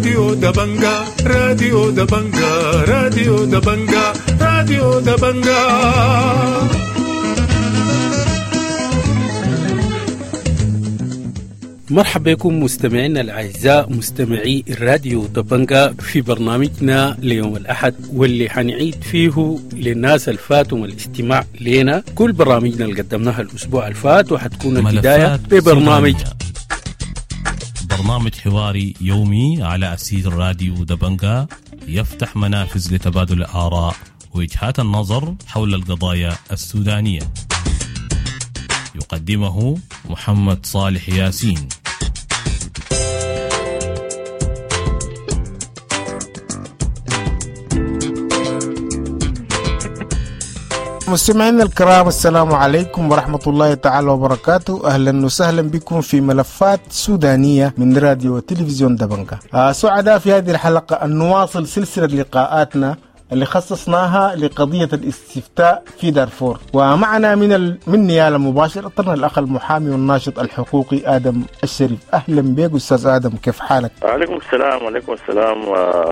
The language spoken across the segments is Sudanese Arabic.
راديو دبنجا، راديو دبنجا، راديو دبنجا، راديو دبنجا. مرحبا بكم مستمعينا الأعزاء مستمعي الراديو دبنجا في برنامجنا ليوم الأحد، واللي حنعيد فيه للناس الفاتهم الاستماع لنا كل برامجنا اللي قدمناها الأسبوع الفات، وحتكون البداية ببرنامج برنامج حواري يومي على أسير راديو دبنجا، يفتح منافذ لتبادل الآراء ووجهات النظر حول القضايا السودانية. يقدمه محمد صالح ياسين. مستمعينا الكرام، السلام عليكم ورحمة الله تعالى وبركاته. أهلا وسهلا بكم في ملفات سودانية من راديو وتلفزيون دبنجا. سعداء في هذه الحلقة أن نواصل سلسلة لقاءاتنا اللي خصصناها لقضية الاستفتاء في دارفور، ومعنا من نيالا مباشرة الأخ المحامي والناشط الحقوقي آدم الشريف. أهلا بك أستاذ آدم، كيف حالك؟ عليكم السلام. وعليكم السلام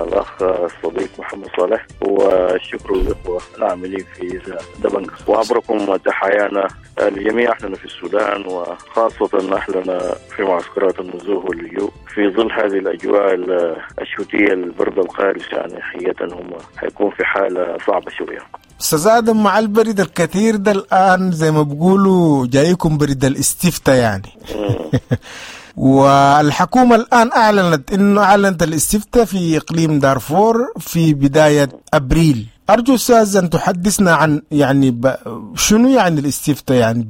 الأخ الصديق محمد صالح، والشكر للإخوة العاملين في دبنجا، وعبركم تحيانا لجميع أهلنا في السودان، وخاصة أهلنا في معسكرات النزوح واللجوء في ظل هذه الأجواء الشتوية البرد القارس. يعني حقيقة هم حيكون في حالة صعبة شوية. أستاذ آدم، مع البرد الكثير ده الآن زي ما بيقولوا جايكم برد الاستفتاء يعني. والحكومة الآن أعلنت الاستفتاء في إقليم دارفور في بداية أبريل. أرجو أستاذ أن تحدثنا عن يعني شنو يعني الاستفتاء، يعني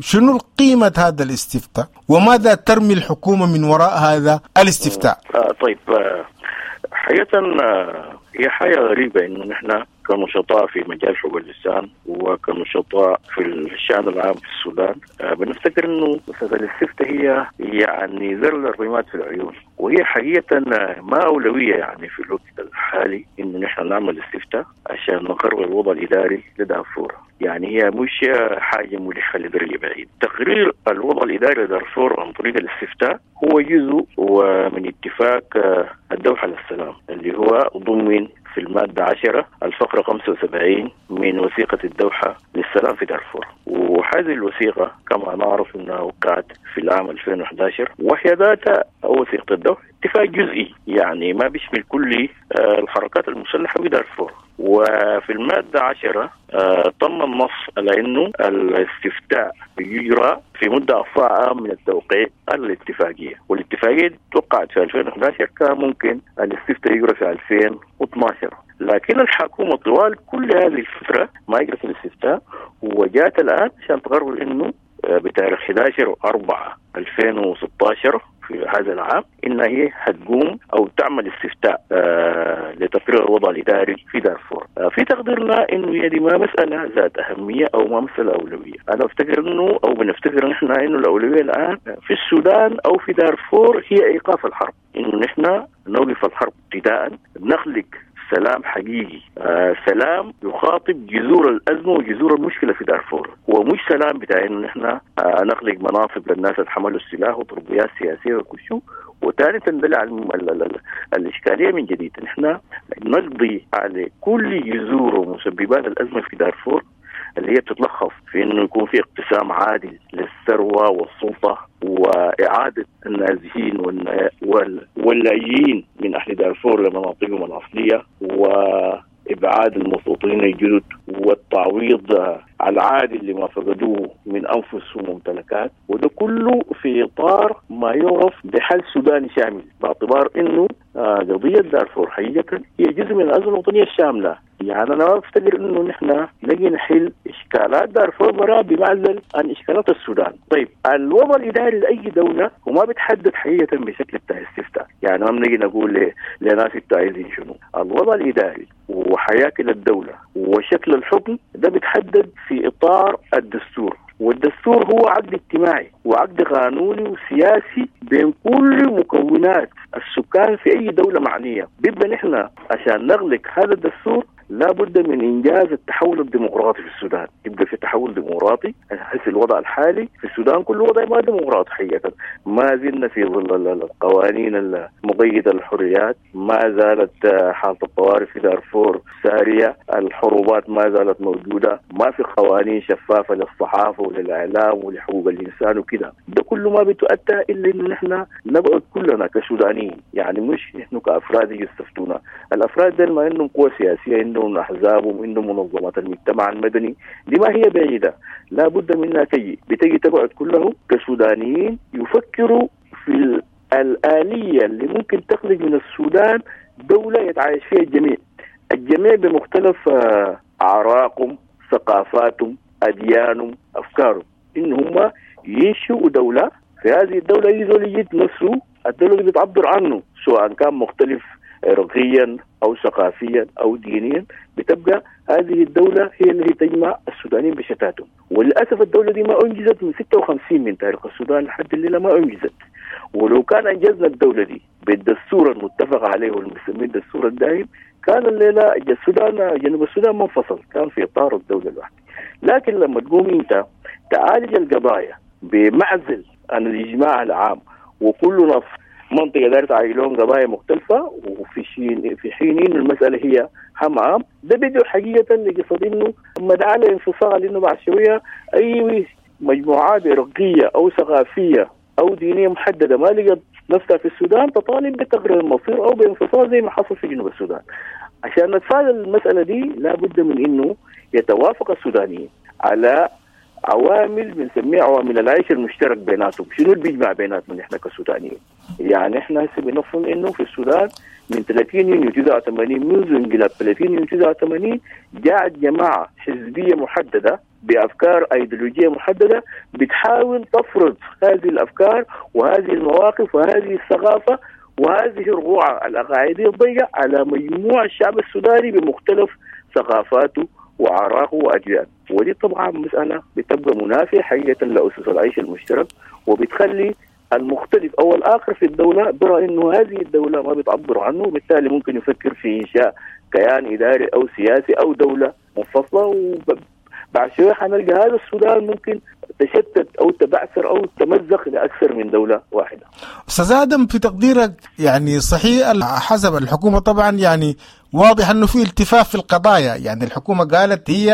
شنو قيمة هذا الاستفتاء، وماذا ترمي الحكومة من وراء هذا الاستفتاء؟ طيب، حقيقة هي حاجة غريبة إنه نحن كنشطاء في مجال حقوق الإنسان وكنشطاء في الشأن العام في السودان بنفتكر إنه مسألة الاستفتاء هي يعني ذر الرماد في العيون، وهي حقيقة ما أولوية يعني في الوقت الحالي إنه نحن نعمل استفتاء عشان نقرر الوضع الإداري لدارفور. يعني هي مش حاجة ملحة لدرجة بعيد. تقرير الوضع الإداري لدارفور عن طريق الاستفتاء هو جزء من اتفاق الدوحة للسلام اللي هو ضمن في المادة 10 الفقرة 75 من وثيقة الدوحة للسلام في دارفور. وهذه الوثيقة كما نعرف أنها وقعت في العام 2011، وهي ذات وثيقة الدوحة اتفاق جزئي، يعني ما بيشمل كل الحركات المسلحة في دارفور. وفي المادة 10 تم النص على أنه الاستفتاء يجرى في مدة أقصى من التوقيع الاتفاقية، والاتفاقية توقعت في 2011، كان ممكن الاستفتاء يجرى في 2012، لكن الحكومة طوال كل هذه الفترة ما يجرت الاستفتاء، وجاءت الآن عشان تقرر أنه بتاريخ 11/4/2016 في هذا العام إن هي هتقوم أو تعمل استفتاء لتقرير الوضع الإداري في دارفور. في تقديرنا إنه هي دي ما مسألة ذات أهمية أو ما مسألة أولوية. أنا أفتكر إنه أو بنفتكر نحن إنه الأولوية الآن في السودان أو في دارفور هي إيقاف الحرب، إنه نحن نوقف الحرب ابتداء، نخلق سلام حقيقي، سلام يخاطب جذور الأزمة وجذور المشكلة في دارفور، ومش سلام بتاع إنه نحن نخلق مناصب للناس اللي حملوا السلاح وتربيات سياسية وكل شيء، وثاني تندلع الإشكالية من جديد. نحن نقضي على كل جذور ومسببات الأزمة في دارفور اللي هي بتتلخص في إنه يكون في اقتسام عادل للثروة والسلطة، وإعادة النازحين واللاجئين من أهل دارفور لمناطقهم الأصلية، وإبعاد المستوطنين الجدد، والتعويض العادل لما فقدوه من أنفس وممتلكات، وده كله في إطار ما يعرف بحل سوداني شامل، باعتبار إنه قضية دارفور حقيقة هي جزء من الأزمة الوطنية الشاملة. يعني أنا ما أفتكر إنه نحن نجي نحل إشكالات دارفور برا بمعزل عن إشكالات السودان. طيب، الوضع الإداري لأي دولة وما بتحدد حقيقة بشكل بتاع استفتاء، يعني ما بنجي نقول لناس انتوا عايزين شنو. الوضع الإداري وحياكل الدولة وشكل الحكم ده بتحدد في إطار الدستور، والدستور هو عقد اجتماعي وعقد قانوني وسياسي بين كل مكونات السكان في أي دولة معنية. بيبقى نحن عشان نغلق هذا الدستور لابد من إنجاز التحول الديمقراطي في السودان. يبقى في تحول ديمقراطي. هسه الوضع الحالي في السودان كله وضع ما ديمقراطي حقيقة، ما زلنا في ظل القوانين المقيدة للحريات، ما زالت حالة الطوارئ في دارفور سارية، الحروبات ما زالت موجودة، ما في قوانين شفافة للصحافة وللإعلام ولحقوق الإنسان وكده. ده كله ما بتؤدى إلا إنه نحن نقعد كلنا كسودانيين، يعني مش نحن كأفراد يستفتونا. الأفراد دول ما عندهم قوة سياسية، عندهم أحزابهم، عندهم منظمات المجتمع المدني، دي ما هي بعيدة، لا بد منها تجي، بتجي تقعد كلهم كسودانيين يفكروا في الآلية اللي ممكن تخرج من السودان دولة يتعايش فيها الجميع، الجميع بمختلف أعراقهم، ثقافاتهم، أديانهم، أفكارهم، إن هم ينشئوا دولة. في هذه الدولة يزول يجد نفسه الدولة اللي بتعبر عنه، سواء كان مختلف عرقيا أو ثقافيا أو دينيا، بتبقى هذه الدولة هي التي تجمع السودانيين بشتاتهم. وللأسف الدولة دي ما أنجزت من 56 من تاريخ السودان لحد الليلة ما أنجزت. ولو كان أنجزنا الدولة دي بالدستور المتفق عليه والمسمين الدستور الدائم، كان الليلة السودان جنوب السودان منفصل، كان في إطار الدولة الواحدة. لكن لما تقوم أنت تعالج القضايا بمعزل عن الإجماع العام، وكل منطقة دارت تعالجون قضايا مختلفة، وفي في حين إنه المسألة هي هم عام، ده بيدعو حقيقة لقصة إنه مدعاة لانفصال، إنه بعد شوية أي مجموعات عرقية أو ثقافية أو دينية محددة ما لقت نفسها في السودان تطالب بتقرير المصير أو بانفصال زي ما حصل في جنوب السودان. عشان نتفادى المسألة دي لابد من إنه يتوافق السودانيين على عوامل بنسميها عوامل العيش المشترك بيناتهم. شنو اللي بيجمع بيناتنا نحن كسودانيين؟ يعني احنا هسه بنفهم انه في السودان من 30 يونيو 89، منذ انقلاب 30 يونيو 89، جاءت جماعة حزبية محددة بأفكار أيديولوجية محددة بتحاول تفرض هذه الأفكار وهذه المواقف وهذه الثقافة وهذه الرقعة الأقاعدية الضيقة على مجموع الشعب السوداني بمختلف ثقافاته وأعراقه وأجياله. ودي طبعا مسألة بتبقى منافية حقيقة لأسس العيش المشترك، وبتخلي المختلف أو الآخر في الدولة برأى إنه هذه الدولة ما بتعبر عنه، وبالتالي ممكن يفكر في إنشاء كيان إداري أو سياسي أو دولة منفصلة. وبعد شوية حنلقى هذا السودان ممكن تشتت أو تبعثر أو تمزق لأكثر من دولة واحدة. أستاذ آدم، في تقديرك يعني صحيح حسب الحكومة طبعا يعني واضح أنه في التفاف في القضايا، يعني الحكومة قالت هي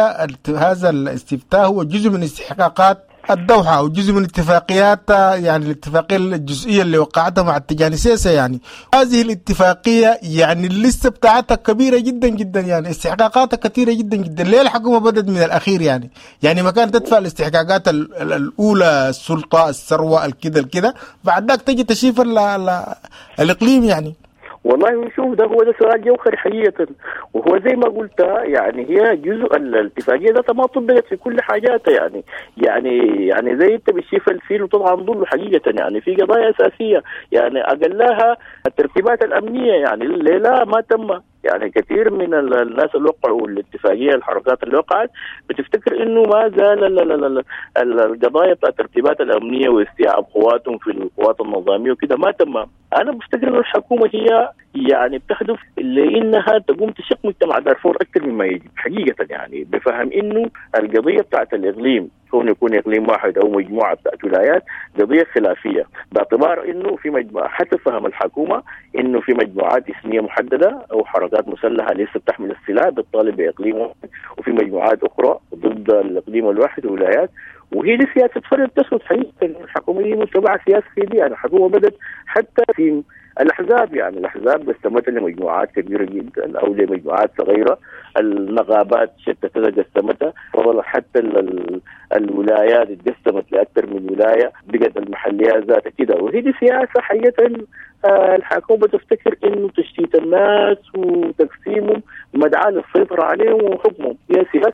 هذا الاستفتاء هو جزء من استحقاقات الدوحة أو جزء من اتفاقيات، يعني الاتفاقية الجزئية اللي وقعتها مع التجاني سيسة. يعني هذه الاتفاقية يعني اللسة بتاعتها كبيرة جدا جدا، يعني استحقاقاتها كثيرة جدا جدا. ليه الحكومة بدأت من الأخير؟ يعني ما كانت تدفع الاستحقاقات الأولى، السلطة، الثروة، الكذا الكذا، بعد ذاك تجي تشيف الإقليم يعني. والله شوف، ده هو ده سؤال جوهري حقيقة، وهو زي ما قلت يعني هي جزء الاتفاقية ده ما طبقت في كل حاجاتها، يعني يعني يعني زي انت بتشوف الفيل وطبعا ظله حقيقة. يعني في قضايا أساسية يعني أقلها الترتيبات الأمنية، يعني الليلة ما تم، يعني كثير من الناس اللي وقعوا الاتفاقية، الحركات اللي وقعت بتفتكر انه ما زال القضايا بتاع الترتيبات الأمنية واستيعاب قواتهم في القوات النظامية وكده ما تم. أنا بفتكر انه الحكومة هي يعني بتهدف لانها تقوم تشق مجتمع دارفور اكثر مما يجب حقيقة، يعني بفهم انه القضية بتاعت الإقليم كون يكون إقليم واحد أو مجموعة بتاعت ولايات قضية خلافية، باعتبار إنه في مجموعة، حتى فهم الحكومة إنه في مجموعات إثنية محددة أو حركات مسلحة لسه بتحمل السلاح بتطالب بإقليم واحد، وفي مجموعات أخرى ضد الإقليم الواحد وولايات، وهي دي سياسة فرد تسود حقيقة. الحكومة دي متبعة سياسة دي، يعني الحكومة بدأت حتى في الأحزاب، يعني الأحزاب قسمتها لمجموعات كبيرة جدا أو لمجموعات صغيرة، النقابات شتتها قسمتها، حتى الولايات اتقسمت لأكثر من ولاية، بقت المحليات ذاتها كده. وهي دي سياسة حقيقة الحكومة تفتكر إنه تشتيت الناس وتقسيمهم مدعاة للسيطرة عليهم وحكمهم، هي سياسة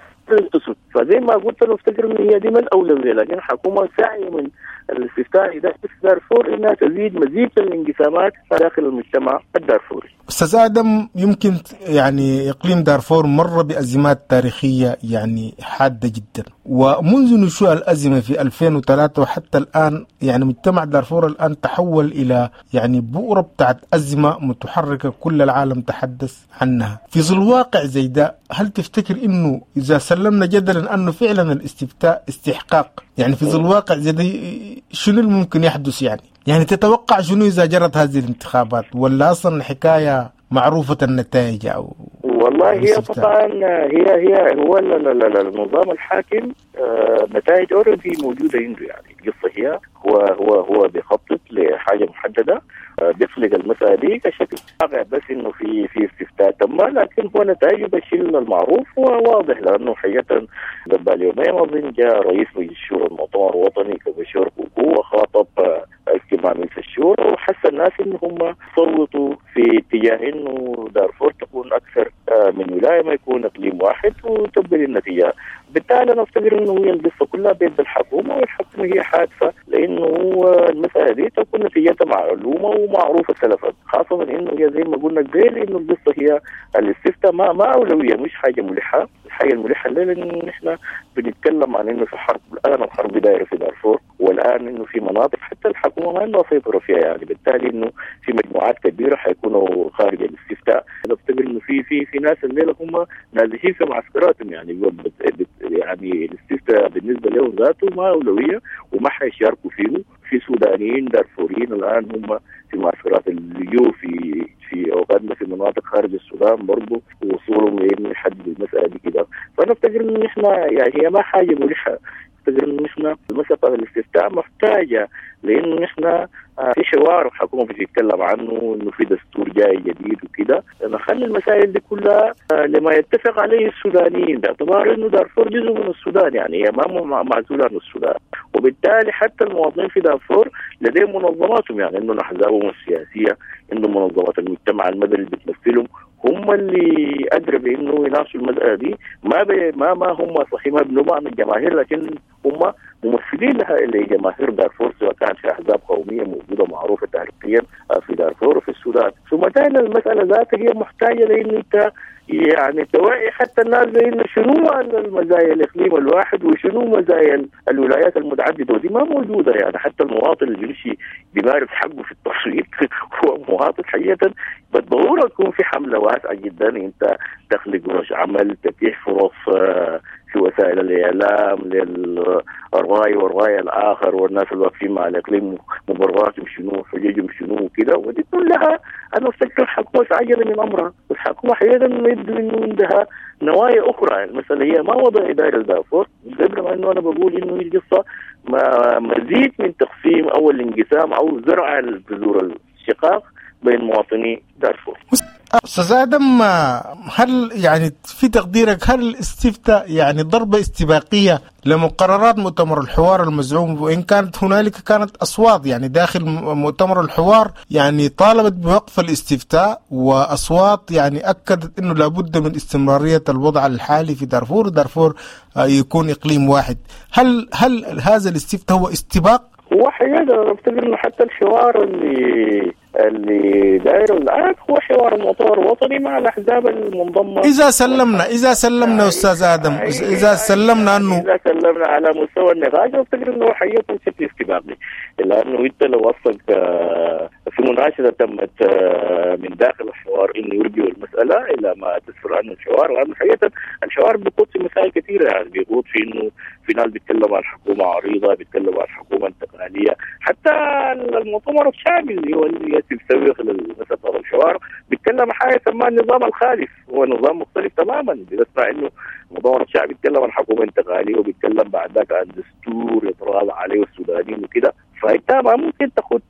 تسود. فزي ما قلت أنا أفتكر إن هي دي ما الأولوية، لكن الحكومة ساعية من الاستفتاء إذا في دارفور إنها تزيد مزيد من الانقسامات داخل المجتمع الدارفوري. أستاذ آدم، يمكن يعني إقليم دارفور مر بأزمات تاريخية يعني حادة جدا، ومنذ نشوء الأزمة في 2003 وحتى الآن يعني مجتمع دارفور الآن تحول إلى يعني بؤرة بتاعت أزمة متحركة كل العالم تحدث عنها. في ظل واقع زي ده، هل تفتكر إنه إذا سلمنا جدلا أنه فعلا الاستفتاء استحقاق، يعني في ظل واقع زي ده شنو الممكن يحدث؟ يعني تتوقع شنو إذا جرت هذه الانتخابات، ولا أصلا الحكاية معروفة النتائج؟ أو والله هي طبعا هي هو النظام الحاكم نتائج already موجودة عنده. يعني القصة هي هو بيخطط لحاجة محددة، بيخلق المسألة دي كشكل واقع، بس إنه في استفتاء تم، لكن هو نتائجه بالشيء المعروف وواضح، لأنه حقيقة قبل يومين أظن جاء رئيس مجلس الشورى المؤتمر الوطني كبشير كوكو وخاطب اجتماع مجلس الشورى، وحس الناس إنه هم صوتوا في اتجاه إنه دارفور تكون أكثر من ولاية، ما يكون إقليم واحد، وتبقى النتيجة. بالتالي أنا أفتكر إنه هي القصة كلها بيد الحكومة، والحكومة هي حادثة، لأنه المسألة دي تكون نتيجتها معلومة ومعروفة سلفا، خاصة إنه هي زي ما قلنا قبل إنه القصة هي الاستفتاء ما أولوية، مش حاجة ملحة. الحاجة الملحة الليلة إنه نحن بنتكلم عن إنه في حرب الآن، الحرب دايرة في دارفور، والآن إنه في مناطق حتى الحكومة ما عندها سيطرة فيها، يعني بالتالي إنه في مجموعات كبيرة حيكونوا خارج الاستفتاء. أنا أفتكر إنه في في في ناس الليلة هم نازحين في معسكراتهم، يعني الاستفتاء بالنسبة لهم ذاته ما أولوية وما حيشاركوا فيه. في سودانيين دارفوريين الآن هم في معسكرات اللجوء في أوغندا، في مناطق خارج السودان برضو، وصولهم لإنه يحددوا المسألة دي كده. فأنا أفتكر إنه نحن يعني هي ما حاجة ملحة، أفتكر إنه نحن المسألة الاستفتاء محتاجة، لأنه نحن في حوار الحكومة بتتكلم عنه إنه في دستور جاي جديد وكده، نخلي المسائل دي كلها لما يتفق عليه السودانيين، باعتبار إنه دارفور جزء من السودان، يعني هي ما معزولة عن السودان، وبالتالي حتى المواطنين في دارفور لديهم منظماتهم، يعني إنه أحزابهم السياسية، إنه منظمات المجتمع المدني اللي بتمثلهم، هم اللي أدرى بإنه يناقشوا المسألة دي. ما هم صحيح ما بنوا عن الجماهير، لكن هم ممثلين لها لجماهير دارفور، سواء كان في أحزاب قومية موجودة معروفة تاريخيا في دارفور وفي السودان. ثم ثاني المسألة ذاتها هي محتاجة لأن أنت يعني توعي حتى الناس بأن شنو المزايا الإقليم الواحد وشنو مزايا الولايات المتعددة، ودي ما موجودة. يعني حتى المواطن اللي بيمشي بيمارس حقه في التصويت هو مواطن حقيقة، بالضرورة تكون في حملة واسعة جدا، أنت تخلق ورش عمل، تتيح فرص في وسائل الإعلام للرأي والرأي الآخر، والناس اللي واقفين مع الإقليم مبرراتهم شنو، حججهم شنو وكده، ودي كلها أنا أفتكر الحكومة في عجلة من أمرها. الحكومة حقيقة يبدو إنه عندها نوايا أخرى. المسألة هي ما وضع إدارة دارفور، قبل ما إنه أنا بقول إنه القصة ما مزيد من تقسيم أو الانقسام أو زرع البذور الشقاق بين مواطني دارفور. أستاذ آدم، هل يعني في تقديرك هل الاستفتاء يعني ضربة استباقية لمقررات مؤتمر الحوار المزعوم، وإن كانت هنالك كانت أصوات يعني داخل مؤتمر الحوار يعني طالبت بوقف الاستفتاء، وأصوات يعني أكدت أنه لابد من استمرارية الوضع الحالي في دارفور، دارفور يكون إقليم واحد، هل هذا الاستفتاء هو استباق؟ هو حقيقة أفتكر إنه حتى الحوار اللي داير الآن هو حوار المؤتمر الوطني مع الأحزاب المنضمة. إذا سلمنا أستاذ آدم، إذا سلمنا أنه إذا سلمنا على مستوى النقاش، أفتكر إنه حقيقة بشكل استباقي، لأنه أنت لو وصلت في مناقشة تمت من داخل الحوار إنه يرجعوا المسألة إلى ما تسفر عنه الحوار، لأنه حقيقة الحوار بيقود في مسائل كثيرة، يعني بيقود في إنه في ناس بيتكلموا عن حكومة عريضة، بيتكلموا عن حكومة انتقالية، حتى المؤتمر الشعبي اللي هو اللي يسوق للمسألة الحوار بيتكلم حاجة يسمى النظام الخالف، هو نظام مختلف تماما. بنسمع إنه المؤتمر الشعبي بيتكلم عن حكومة انتقالية وبيتكلم بعد ذاك عن دستور يتراضى عليه السودانيين وكده، فأنت ما ممكن تاخد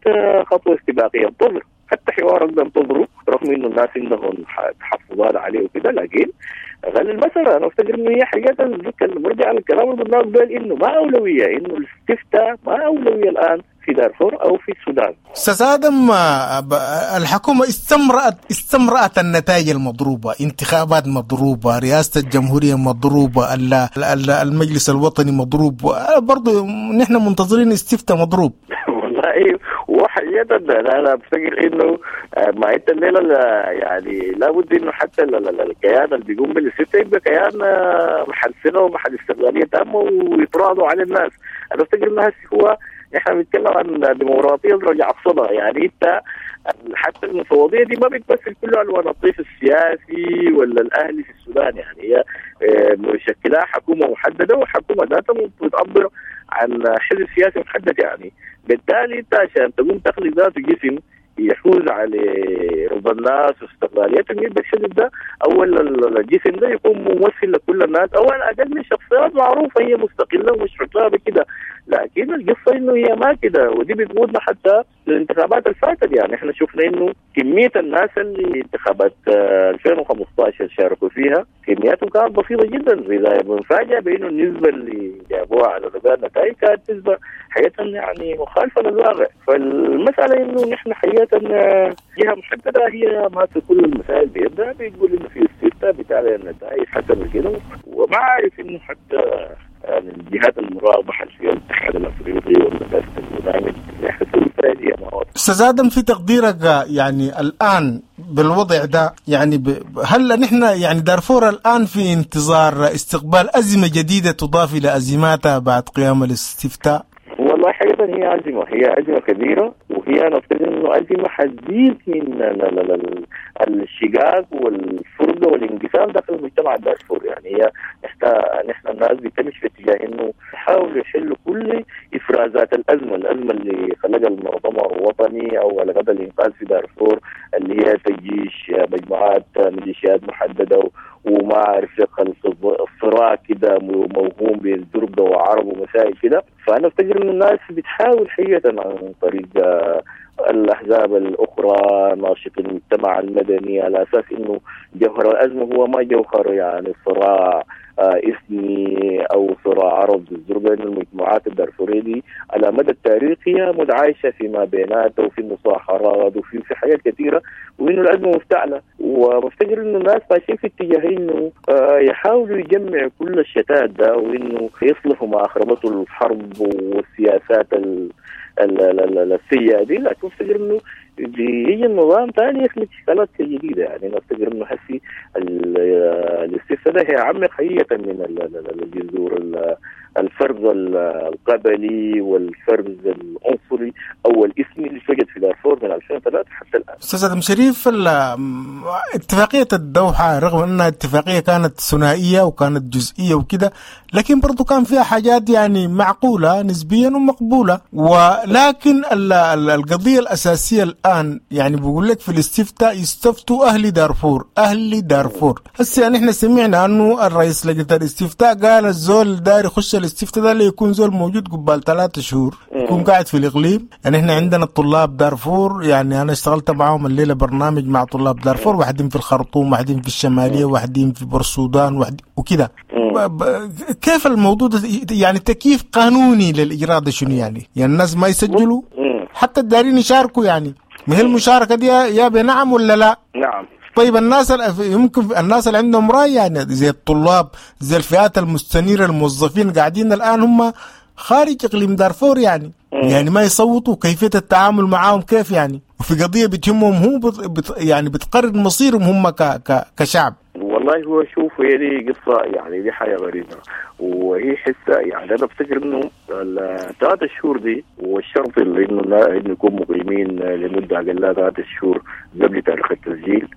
خطوة استباقية. انتظر حتى حوارك ده انتظره، رغم إنه الناس عندهم تحفظات عليه وكده، لكن غل المسألة أنا أفتكر إنه هي حقيقة برجع للكلام اللي قلناه قبل إنه ما أولوية، إنه الاستفتاء ما أولوية الآن في دارفور او في السودان. استاذ ادم، الحكومة استمرأت النتائج المضروبه، انتخابات مضروبة، رئاسة الجمهورية مضروبة، المجلس الوطني مضروب، برضه نحن منتظرين استفتاء مضروب. والله وحقيقة انا بفتكر انه ما انت الليلة يعني لابد انه حتى الكيان اللي بيقوم بالاستفتاء يبقى كيان محل ثقة ومحل استقلالية تامة ويتراضوا على الناس. انا بفتكر انه هو نحن بنتكلم عن ديمقراطية رجع الصدى، يعني انت حتى المفوضية دي ما بتمثل كل الوان الطيف السياسي ولا الاهلي في السودان، يعني هي مشكلها حكومة محددة وحكومة ذاتها بتعبر عن حزب سياسي محدد، يعني بالتالي انت عشان تقوم تخلق ذاته جسم يحوز على رضا الناس واستقلاليتهم يبقى الحزب ده او الجسم ده يكون ممثل لكل الناس او على الاقل من شخصيات معروفة هي مستقلة ومش حسابه كده. لكن القصة انه هي ما كده، ودي بتقودنا حتى للانتخابات الفاتت. يعني احنا شفنا انه كمية الناس اللي انتخابات 2015 شاركوا فيها كمياتهم كانت بسيطة جدا، اذا بنفاجئ بانه النسبة اللي جابوها على رجال النتائج كانت نسبه حقيقة يعني مخالفة للواقع. فالمسالة انه نحن حقيقة جهة محددة هي ماسكه كل المسائل بيدها، بتقول انه في استفتاء بتعلن النتائج حسب كده، وما عارف انه حتى يعني الجهات المراقبة في الاتحاد الافريقي والمجلس البرنامج استاذ ادم، في تقديرك يعني الان بالوضع ده، يعني هل نحن يعني دارفور الان في انتظار استقبال ازمة جديدة تضاف الى ازماتها بعد قيام الاستفتاء؟ والله حقيقة هي أزمة، هي أزمة كبيرة، وهي أنا أفتكر إنه أزمة حتزيد من الشقاق والفرقة والانقسام داخل المجتمع الدارفوري. يعني هي نحن الناس بتمشي في اتجاه إنه يحاولوا يحلوا كل إفرازات الأزمة، الأزمة اللي خلقها المؤتمر الوطني أو خلقها الإنقاذ في دارفور اللي هي تجيش مجموعات ميليشيات محددة وما أعرف الصراع كده موهوم بين زرقة وعرب ومسائل كده. فأنا أفتكر إن الناس بتحاول حقيقة عن طريق الأحزاب الأخرى، ناشط المجتمع المدني، على أساس إنه جوهر الأزمة هو ما جوهر يعني صراع إثني أو صراع عرب الزرقاء، إنه المجموعات الدارفورية دي على مدى التاريخ هي متعايشة فيما بيناتها وفي مصاهرات وفي حاجات كثيرة، وإنه الأزمة مفتعلة. وبفتكر إنه الناس ماشيين في اتجاه إنه يحاولوا يجمعوا كل الشتات ده، وإنه يصلحوا ما أخربته الحرب والسياسات السيئة دي. لكن أفتكر إنه بيجي النظام ثاني يخلق اشكالات جديدة. يعني انا افتكر انه حسي الاستفتاء ده هيعمق حقيقة من الجذور الفرز القبلي والفرز العنصري او الاسمي اللي توجد في دارفور من 2003 حتى الان. استاذ ادم شريف، اتفاقية الدوحة رغم انها اتفاقية كانت ثنائية وكانت جزئية وكده، لكن برضو كان فيها حاجات يعني معقولة نسبيا ومقبوله، ولكن القضية الاساسية الان يعني بقول لك في الاستفتاء يستفتوا اهل دارفور، اهل دارفور. هسه يعني احنا سمعنا انه الرئيس لجنة الاستفتاء قال الزول داير يخش الاستفتاء ده اللي يكون زول موجود قبال 3 شهور، يكون قاعد في الاقليم. يعني احنا عندنا الطلاب دارفور، يعني انا اشتغلت معاهم الليلة برنامج مع طلاب دارفور، واحدين في الخرطوم، واحدين في الشمالية، واحدين في بورسودان، وكده. كيف الموضوع ده يعني تكييف قانوني للاجراء ده شنو يعني؟ يعني الناس ما يسجلوا حتى الدارين يشاركوا، يعني ما هي المشاركة دي يا بنعم ولا لا؟ نعم. طيب الناس يمكن الناس اللي عندهم رأي يعني زي الطلاب، زي الفئات المستنيرة، الموظفين قاعدين الآن هم خارج إقليم دارفور، يعني يعني ما يصوتوا، كيفية التعامل معاهم كيف يعني؟ وفي قضية بتهمهم هو يعني بتقرر مصيرهم هم كشعب. والله هو شوف، هي دي قصة يعني دي حاجة غريبة، وهي حسة يعني أنا بفتكر إنه ال3 شهور دي والشرط اللي إنه يكون مقيمين لمدة أقل 3 شهور قبل تاريخ التسجيل،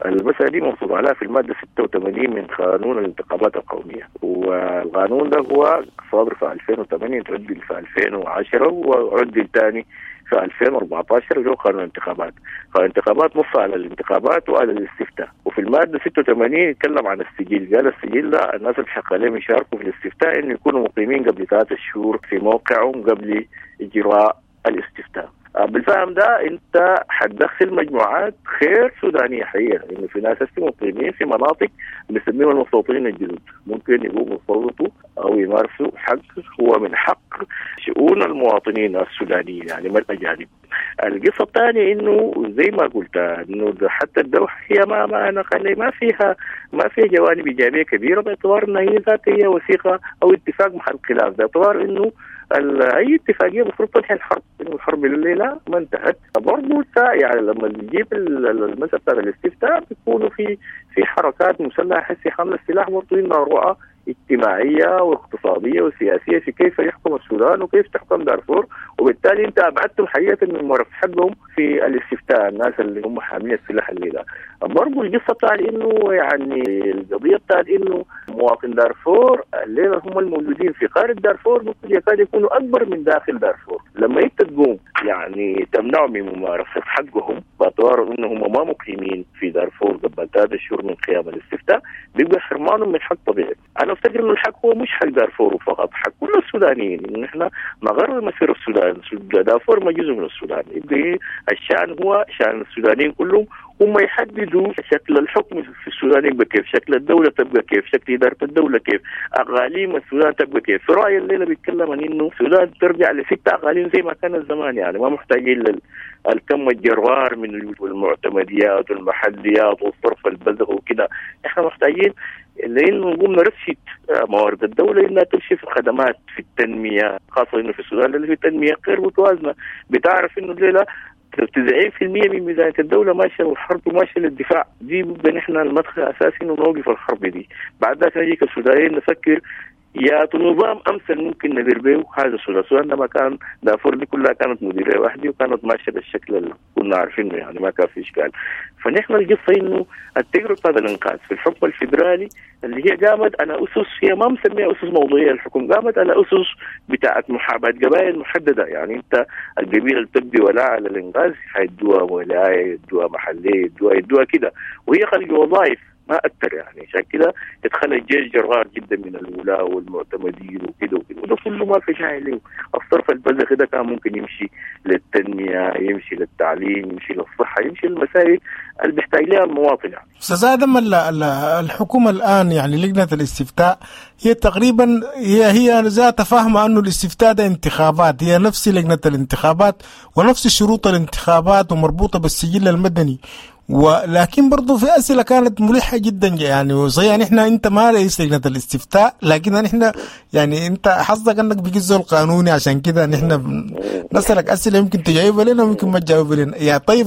المسألة دي منصوص عليها في المادة 86 من قانون الانتخابات القومية، والقانون ده هو صادر في 2008، تعدل في 2010 وعدل ثاني في 2014 اللي هو قانون الانتخابات. قانون الانتخابات نص على الانتخابات وعلى الاستفتاء، وفي المادة 86 يتكلم عن السجل، قال السجل ده الناس اللي حق عليهم يشاركوا في الاستفتاء انه يكونوا مقيمين قبل 3 شهور في موقعهم قبل اجراء الاستفتاء. بالفهم ده انت حتدخل مجموعات غير سودانيه حقيقة، انه في ناس هسه مقيمين في مناطق بنسميهم المستوطنين الجدد، ممكن يقوموا يصوتوا او يمارسوا حق هو من حق شؤون المواطنين السودانيين، يعني ما الاجانب. القصة الثانية انه زي ما قلت انه حتى الدوحة هي ما انا ما فيها جوانب ايجابية كبيرة، باعتبار انها هي ذاتها هي وثيقة او اتفاق محل خلاف، باعتبار انه اي اتفاقية المفروض تنهي الحرب، انه الحرب الليلة ما انتهت. برضه يعني لما نجيب المسالة بتاعت الاستفتاء بيكونوا في حركات مسلحة حسي حمل السلاح برضه عندها رؤى اجتماعية واقتصادية وسياسية في كيف يحكم السودان وكيف تحكم دارفور، وبالتالي انت ابعدتم حقيقة من ممارسة حقهم في الاستفتاء، الناس اللي هم حاملين السلاح الليلة. برضه القصة بتاعت انه يعني القضية بتاعت انه مواطن دارفور الليلة هم الموجودين في خارج دارفور ممكن يكاد يكونوا اكبر من داخل دارفور. لما انت تقوم يعني تمنعهم من ممارسة حقهم باعتبار انهم ما مقيمين في دارفور قبل 3 شهور من قيام الاستفتاء، بيبقى حرمانهم من حق طبيعي. انا افتكر انه الحق هو مش حق دارفور فقط، حق كل السودانيين، انه نحن نغير مسير السودان، دارفور ما جزء من السودان، يبقى الشان هو شان السودانيين كلهم، هم يحددوا شكل الحكم في السودان يبقى كيف، شكل الدولة تبقى كيف، شكل إدارة الدولة كيف، أقاليم السودان تبقى كيف. في رأيي الليلة بيتكلم عن إنه السودان ترجع ل6 أقاليم زي ما كان زمان، يعني ما محتاجين الكم الجرار من المعتمديات والمحليات والصرف البذخ وكده. احنا محتاجين لانه نقوم نرشد موارد الدولة انها تمشي في الخدمات، في التنمية، خاصة انه في السودان اللي في التنمية غير متوازنة. بتعرف انه الليلة 90% من ميزانية الدولة ماشية للحرب وماشية للدفاع، دي بيبقى نحن المدخل الأساسي إنه نوقف الحرب دي. بعد ذاك نجي كسودانيين نفكر يا نظام أمثل ممكن ندير به هذا السودان. السودان لما كان دارفور دي كلها كانت مديرية واحدة وكانت ماشية بالشكل اللي كنا عارفينه، يعني ما كان في إشكال. فنحن القصة إنه التجربة بتاعت الإنقاذ في الحكم الفيدرالي اللي هي قامت على أسس، هي ما مسميها أسس موضوعية الحكم، قامت على أسس بتاعت محاباة قبائل محددة. يعني أنت القبيلة اللي بتبدي ولاء على الإنقاذ حيدوها ولاية، يدوها محلية، يدوها كده، وهي خلق وظائف ما أكثر. يعني عشان كده ادخل الجيش جرار جدا من الولاء والمعتمدين وكده وكده، وده كله ما في داعي له. الصرف البذخ ده كان ممكن يمشي للتنمية، يمشي للتعليم، يمشي للصحة، يمشي للمسائل اللي بيحتاج لها المواطن. يعني أستاذ آدم، الحكومة الآن يعني لجنة الاستفتاء هي تقريبا هي ذات فاهمة أنه الاستفتاء ده انتخابات، هي نفس لجنة الانتخابات ونفس شروط الانتخابات ومربوطة بالسجل المدني، ولكن برضو في أسئلة كانت ملحة جدا. يعني صحيح نحن أنت ما رئيس لجنة الاستفتاء، لكن نحن يعني أنت حظك أنك بقيت زول قانوني، عشان كده نحن نسألك أسئلة يمكن تجاوب لنا ويمكن ما تجاوب لنا. يا طيب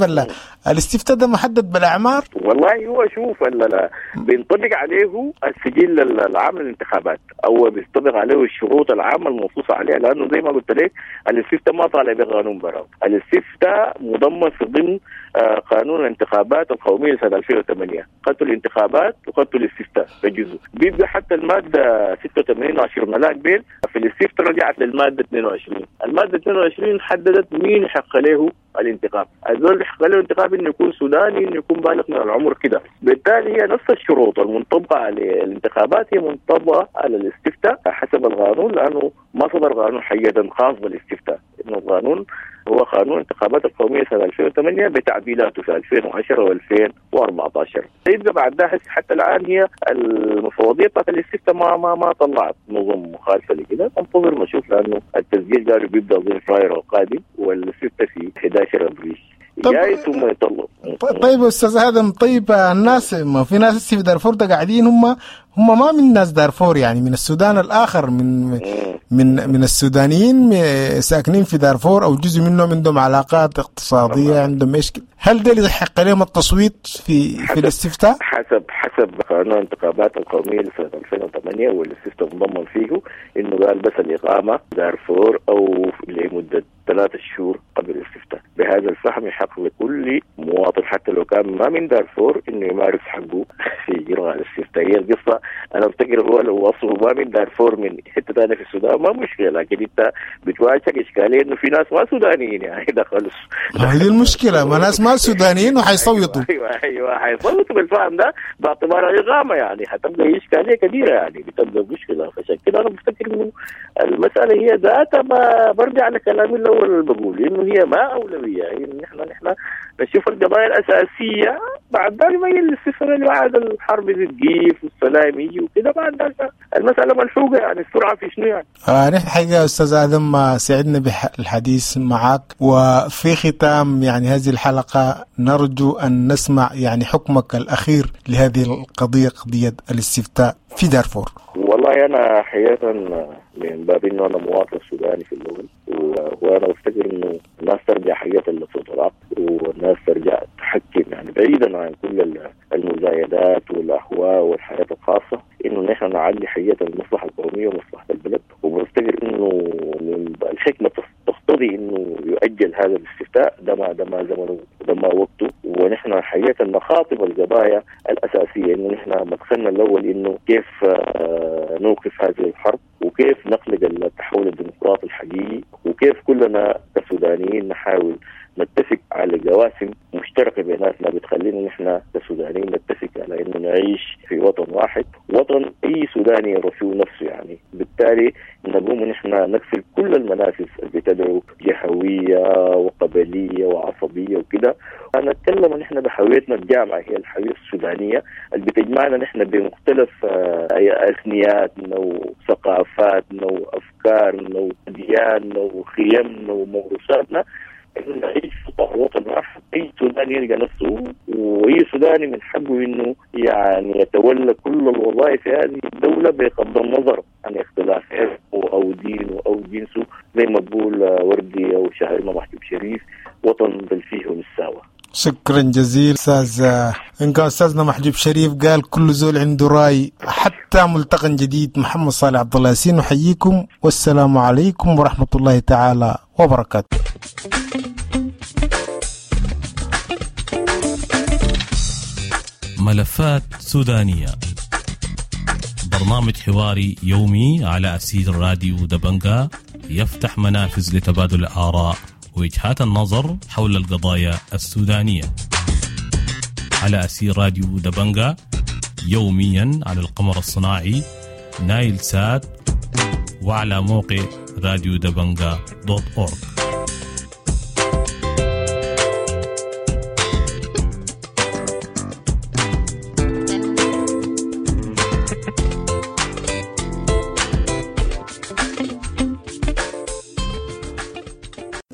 الاستفتاء ده محدد بالأعمار؟ والله هو شوف لا بينطبق عليه السجل العام للانتخابات أو بينطبق عليه الشروط العامة المنصوص عليها، لأنه زي ما قلت لك الاستفتاء ما طالع بقانون براو، الاستفتاء مضمن في ضمن قانون الانتخابات القومية سنة 2008، خدتوا الانتخابات وخدتوا الاستفتاء بجزء. بيبقى حتى المادة 86 10 ملاك بيل في الاستفتاء رجعت للمادة 22، المادة 22 حددت مين حق له الانتخاب، الزول اللي حق له الانتخاب انه يكون سوداني، انه يكون بالغ من العمر كده. بالتالي هي نفس الشروط المنطبقة على الانتخابات هي منطبقة على الاستفتاء حسب القانون، لأنه ما صدر قانون حقيقة خاص بالاستفتاء، إنه القانون هو قانون الانتخابات القومية سنة 2008 بتعديلاته في 2010 و2014. يبقى بعد ده حتى الآن هي المفوضية بتاعت الاستفتاء ما طلعت نظم مخالفة لكده، انتظر نشوف، لأنه التسجيل قالوا بيبدأ ضمن فبراير القادم والاستفتاء في 11 أبريل. جاي ثم يطلع. طيب استاذ ادم، طيب الناس ما في ناس في دارفور ده قاعدين هم ما من ناس دارفور، يعني من السودان الاخر، من من من السودانيين ساكنين في دارفور او جزء منهم عندهم علاقات اقتصادية، عندهم ايش، هل ده اللي يحق لهم التصويت في الاستفتاء؟ حسب قانون الانتخابات القومية لسنه 2008 والاستفتاء مضمن فيه انه قال بس الاقامة دارفور او لمدة 3 شهور قبل الاستفتاء. بهذا الفهم يحق لكل مواطن حتى لو كان ما من دارفور انه يمارس حقه في اجراء الاستفتاء. هي القصة انا افتكر هو لو وصلوا ما من دارفور من حتة ثانية في السودان ما مشكلة، لكن انت بتواجهك اشكالية انه في ناس ما سودانيين يعني دخلوا. هذه المشكلة، ما ناس ما سودانيين وحيصوتوا. ايوه حيصوتوا بالفهم ده باعتبار اقامه، يعني حتبقى اشكالية كبيرة، يعني بتبقى مشكلة. فعشان كده انا بفتكر انه المسالة هي ذاتها، ما برجع لكلامي الاول الاول اللي بقول انه هي ما اولوية، يعني نحن نشوف القضايا الاساسية، بعد ذلك ما الاستفسار اللي بعد الحرب تقيف والسلام يجي وكده، بعد ذلك المسالة ملحوقه، يعني السرعة في شنو يعني. نحن حقيقة استاذ ادم سعدنا بالحديث معك، وفي ختام يعني هذه الحلقة نرجو ان نسمع يعني حكمك الاخير لهذه القضية، قضية الاستفتاء في دارفور. والله انا حقيقة من باب انه انا مواطن سوداني في الاول، وانا بفتكر انه الناس ترجع حقيقة للصوت والناس ترجع تحكم، يعني بعيدا عن كل المزايدات والاهواء والحياة الخاصة، انه نحن نعلي حقيقة المصلحة القومية ومصلحه البلد. وبفتكر انه من الحكمة تقتضي انه يؤجل هذا الاستفتاء، ده ما زمنه وده ما وقته، ونحن حقيقة نخاطب القضايا الاساسية، انه نحن مدخلنا الاول انه كيف نوقف هذه الحرب، وكيف نخلق التحول الديمقراطي الحقيقي، وكيف كلنا كسودانيين نحاول نتفق على جواسم مشتركة بيناتنا بتخلينا نحن كسودانيين نتفق على انه نعيش في وطن واحد، وطن اي سوداني يرى فيه نفسه يعني. بالتالي نقوم نحن نقفل كل المنافذ اللي بتدعو جهوية وقبلية وعصبية وكده. أنا أتكلم نحن بهويتنا الجامعة، هي الهوية السودانية اللي بتجمعنا نحن بمختلف أثنياتنا وثقافاتنا وأفكارنا ودياننا وخيمنا وموروثاتنا، إنه نعيش في وطن واحد. أي سوداني يلقى نفسه، وأي سوداني من حقه إنه يعني يتولى كل الوظائف في هذه الدولة بغض النظر عن اختلاف عرقه أو دينه أو جنسه، زي ما تقول وردي أو شاعرنا محجوب شريف، وطن بل فيه نساوى. شكرا جزيلا استاذ. ان كان استاذنا محجوب شريف قال كل زول عنده راي. حتى ملتقى جديد، محمد صالح عبد الله ياسين نحييكم، والسلام عليكم ورحمة الله تعالى وبركاته. ملفات سودانية، برنامج حواري يومي على أسير راديو دبنجا، يفتح منافذ لتبادل الآراء ووجهات النظر حول القضايا السودانية على أسير راديو دبنجا، يوميا على القمر الصناعي نايل سات وعلى موقع راديو دبنجا .org.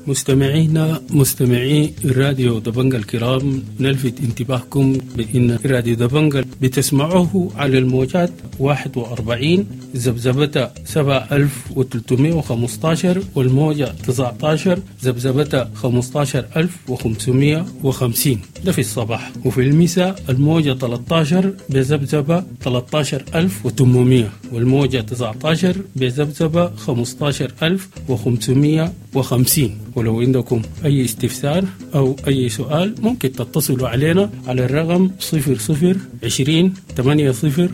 مستمعينا مستمعي راديو دبنجا الكرام، نلفت انتباهكم بأن راديو دبنجا بتسمعوه على الموجات 41 ذبذبة 7315 والموجة 19 ذبذبة 15550، ده في الصباح، وفي المساء الموجة 13 بذبذبة 13800 والموجة 19 بذبذبة 15550. ولو عندكم أي استفسار أو أي سؤال ممكن تتصلوا علينا على الرقم 00 20 80 0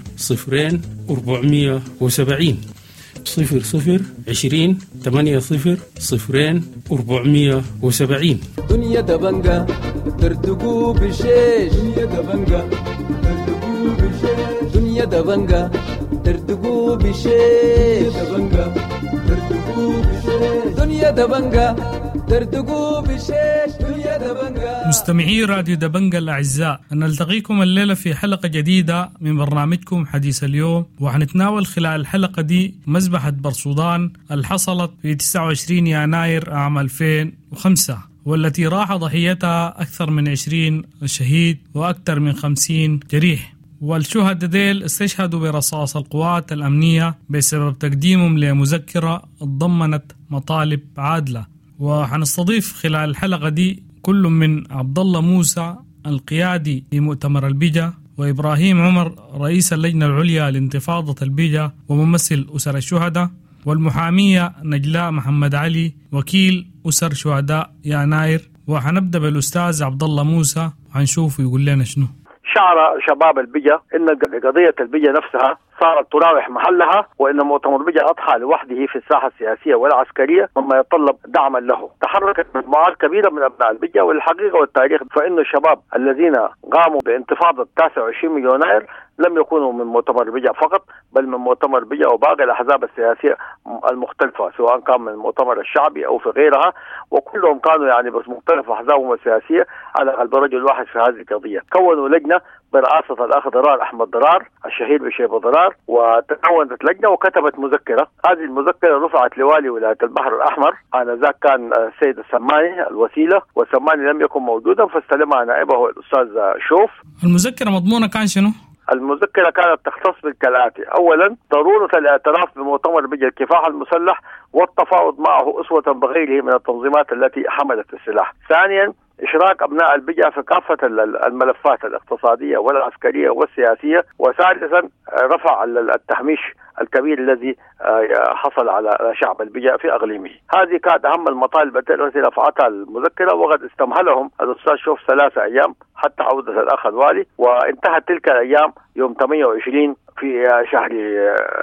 470، 00 20 80 0 470. دنيا دبنجا تردقوا بشيش، دنيا دبنجا تردقوا بشيش، دنيا دبنجا تردقوا بشيش، دبنجا تردقوا بشيش، دنيا دبنجا تردقوا بشيش، دنيا دبنجا. مستمعي راديو دبنجا الأعزاء، نلتقيكم الليلة في حلقة جديدة من برنامجكم حديث اليوم، وحنتناول خلال الحلقة دي مذبحة برسودان اللي حصلت في 29 يناير عام 2005، والتي راح ضحيتها أكثر من 20 شهيد وأكثر من 50 جريح. والشهداء ديل استشهدوا برصاص القوات الأمنية بسبب تقديمهم لمذكرة ضمنت مطالب عادلة. وحنستضيف خلال الحلقة دي كل من عبد الله موسى القيادي لمؤتمر البيجا، وإبراهيم عمر رئيس اللجنة العليا لانتفاضة البيجا وممثل أسر الشهداء، والمحامية نجلاء محمد علي وكيل أسر شهداء يناير. وحنبدأ بالأستاذ عبد الله موسى وحنشوف يقول لنا شنو. شعر شباب البيجا ان قضية البيجا نفسها صارت تراوح محلها، وان مؤتمر بجا اضحى لوحده في الساحة السياسية والعسكرية مما يتطلب دعما له. تحركت مجموعات كبيرة من ابناء البجا، والحقيقة والتاريخ فان الشباب الذين قاموا بانتفاضه 29 يناير لم يكونوا من مؤتمر بجا فقط، بل من مؤتمر بجا وباقي الاحزاب السياسية المختلفة، سواء كان من المؤتمر الشعبي او في غيرها، وكلهم كانوا يعني بس مختلف احزابهم السياسية على قلب رجل واحد في هذه القضية. كونوا لجنة برئاسة الاخ ضرار احمد ضرار الشهير بشيبه ضرار، وتكونت لجنة وكتبت مذكره. هذه المذكرة رفعت لوالي ولاية البحر الاحمر، انذاك كان السيد السماني الوسيلة، والسماني لم يكن موجودا فاستلمها نائبه الاستاذ شوف. المذكرة مضمونه كان شنو؟ المذكرة كانت تختص بالكالآتي: أولا، ضرورة الاعتراف بمؤتمر بجا الكفاح المسلح والتفاوض معه أسوة بغيره من التنظيمات التي حملت السلاح. ثانيا، إشراك أبناء البجا في كافة الملفات الاقتصادية والعسكرية والسياسية. وثالثا، رفع التهميش الكبير الذي حصل على شعب البجا في أقليمه. هذه كانت أهم المطالب التي رفعتها المذكرة، وقد استمهلهم الأستاذ شوف 3 أيام حتى عودة الأخ الوالي، وانتهت تلك الأيام يوم 28 في شهر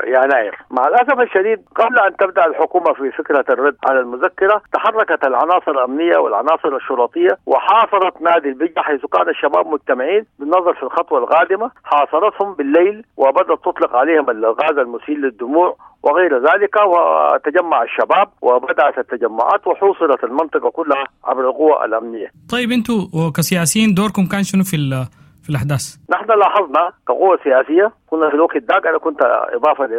يناير. مع الأسف الشديد قبل أن تبدأ الحكومة في فكرة الرد على المذكرة تحركت العناصر الأمنية والعناصر الشرطية وحاصرت نادي البجا حيث كان الشباب مجتمعين بالنظر في الخطوة القادمة. حاصرتهم بالليل وبدأت تطلق عليهم الغاز المسيل للدموع وغير ذلك، وتجمع الشباب وبدأت التجمعات وحوصرت المنطقة كلها عبر القوى الأمنية. طيب أنتوا كسياسيين دوركم كان شنو في الأحداث؟ نحن لاحظنا كقوة سياسية، كنا في الوقت ذاك أنا كنت إضافة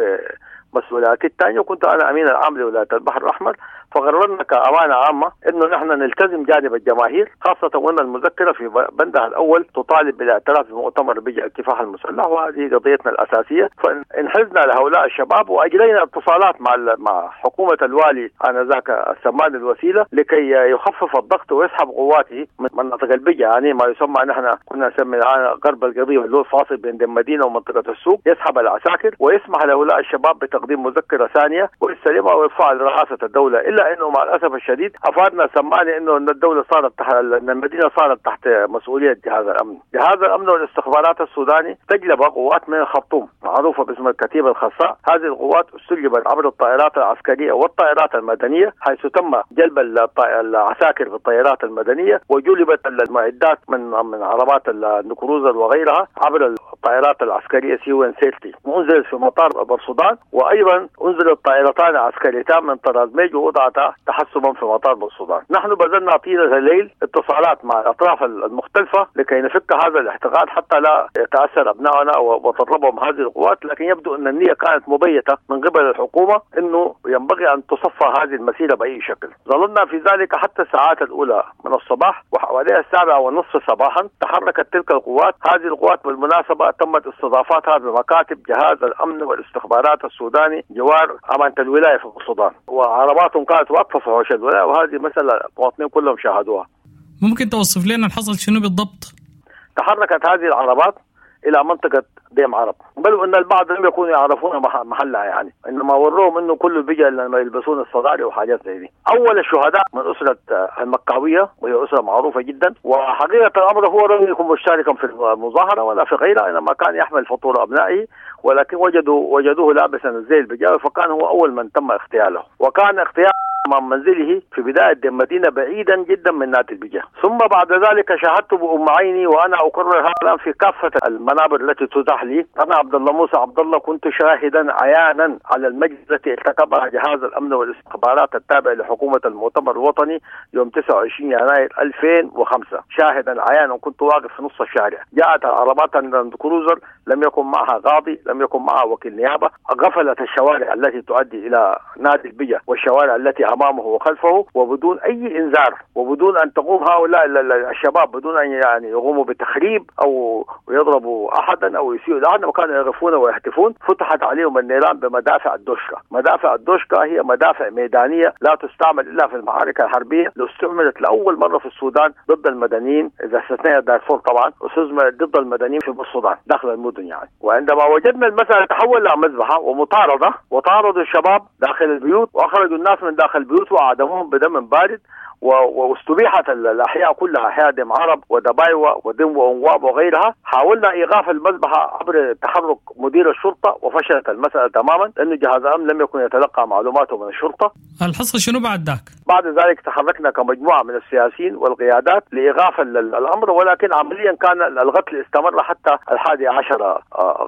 لمسؤولياتي الثانية وكنت أنا أمين العام لولاية البحر الأحمر، فقررنا كأمانة عامة إنه نحن نلتزم جانب الجماهير، خاصة وأن المذكرة في بندها الأول تطالب بالاعتراف بمؤتمر بجا الكفاح المسلح، وهذه قضيتنا الأساسية. فانحزنا لهؤلاء الشباب وأجرينا اتصالات مع حكومة الوالي آنذاك السمان الوسيلة لكي يخفف الضغط ويسحب قواته من مناطق البجا، يعني ما يسمى نحن كنا نسمي الآن غرب القضية اللي هو الفاصل بين المدينة ومنطقة السوق، يسحب العساكر ويسمح لهؤلاء الشباب بتقديم مذكرة ثانية ويستلمها ويرفعها لرئاسة الدولة. إلا انه مع الاسف الشديد افادنا سماني انه ان الدولة صارت تحت، ان المدينة صارت تحت مسؤولية جهاز الامن. جهاز الامن والاستخبارات السوداني تجلب قوات من الخرطوم معروفة باسم الكتيبة الخاصة. هذه القوات استجلبت عبر الطائرات العسكرية والطائرات المدنية، حيث تم جلب العساكر بالطائرات المدنية وجلبت المعدات من عربات الكروزر وغيرها عبر الطائرات العسكرية C-130، وانزلت في مطار بورسودان، وايضا انزلت طائرتان عسكريتان من طراز ميج ووضعت تحسبا في مطار بورسودان. نحن بذلنا طيلة الليل اتصالات مع الأطراف المختلفة لكي نفك هذا الاحتقان حتى لا يتأثر أبنائنا وتضربهم هذه القوات، لكن يبدو أن النية كانت مبيتة من قبل الحكومة أنه ينبغي أن تصفى هذه المسيرة بأي شكل. ظللنا في ذلك حتى الساعات الأولى من الصباح، وحوالي 7:30 صباحا تحركت تلك القوات. هذه القوات بالمناسبة تمت استضافتها بمكاتب جهاز الأمن والاستخبارات السوداني جوار أمانة الولاية في السودان، وعرباتهم كانت واقفة في حوش الولاية، وهذه مسألة المواطنين كلهم شاهدوها. ممكن توصف لنا الحصل شنو بالضبط؟ تحركت هذه العربات إلى منطقة ديم عرب، بل أن البعض لم يكونوا يعرفون محلها، يعني إنما وروهم إنه كل بيجي لما يلبسون الصداري وحاجات زي دي. أول الشهداء من أسرة المكاوية، وهي أسرة معروفة جدا، وحقيقة الأمر هو لم يكن مشتركا في المظاهرة ولا في غيرها، إنما كان يحمل فطور أبنائه، ولكن وجدوه لابسا الزي البجاوي، فكان هو أول من تم اغتياله، وكان اغتيال أمام منزله في بداية المدينة بعيدا جدا من نادي البجا. ثم بعد ذلك شاهدت بأم عيني، وأنا أكرر هذا الآن في كافة المنابر التي تتاح لي، أنا عبد الله موسى عبد الله كنت شاهدا عيانا على المجلس التي ارتكبها جهاز الأمن والاستخبارات التابع لحكومة المؤتمر الوطني يوم 29 يناير 2005، شاهدا عيانا، كنت واقف في نص الشارع. جاءت عربات الكروزر لم يكن معها قاضي، لم يكن معها وكيل نيابة، غفلت الشوارع التي تؤدي إلى نادي البجا والشوارع التي أمامه وخلفه، وبدون أي إنذار، وبدون أن تقوم هؤلاء الشباب، بدون أن يعني يقوموا بتخريب أو يضربوا أحدا أو يسيئوا لأحد، وكانوا يقفون ويهتفون. فتحت عليهم النيران بمدافع الدوشكا. مدافع الدوشكا هي مدافع ميدانية لا تستعمل إلا في المعارك الحربية، استعملت لأول مرة في السودان ضد المدنيين، إذا استثنينا دارفور طبعا، استعملت ضد المدنيين في السودان داخل المدن يعني. وعندما وجدنا لأن المسألة تحول لمذبحة ومطاردة، وطاردوا الشباب داخل البيوت وأخرجوا الناس من داخل البيوت وأعدموهم بدم بارد، واستبيحت الأحياء كلها، أحياء دم عرب ودبايوة ودم وأنواب وغيرها. حاولنا إيقاف المذبحة عبر تحرك مدير الشرطة وفشلت المسألة تماما، لأن جهاز الأمن لم يكن يتلقى معلوماته من الشرطة. الحصل شنو بعد ذاك؟ بعد ذلك تحركنا كمجموعة من السياسيين والقيادات لإيقاف الأمر، ولكن عمليا كان القتل استمر حتى 11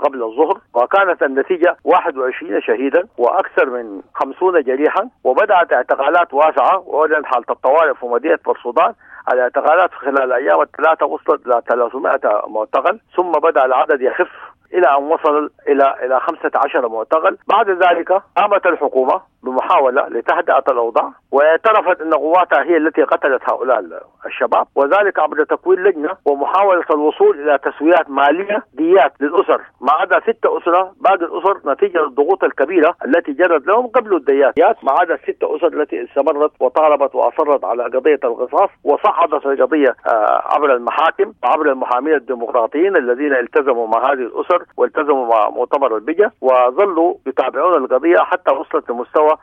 قبل الظهر، وكانت النتيجة 21 شهيدا وأكثر من 50 جريحا، وبدأت اعتقالات واسعة وأعلنت حالة الطوارئ في مدينة بورسودان. الاعتقالات خلال الأيام الثلاثة وصلت إلى 300 معتقل، ثم بدأ العدد يخف إلى أن وصل إلى 15 معتقل. بعد ذلك قامت الحكومة بمحاولة لتهدئة الأوضاع، واعترفت أن قواتها هي التي قتلت هؤلاء الشباب، وذلك عبر تكوين لجنة ومحاولة الوصول إلى تسويات مالية ديات للأسر، ما عدا 6 أسرة. باقي الأسر نتيجة للضغوط الكبيرة التي جرت لهم قبلوا الديات، ما عدا 6 أسر التي استمرت وطالبت وأصرت على قضية القصاص، وصعدت القضية عبر المحاكم وعبر المحامين الديمقراطيين الذين التزموا مع هذه الأسر والتزموا مع مؤتمر البجا، وظلوا يتابعون القضية حتى وصلت لمستوى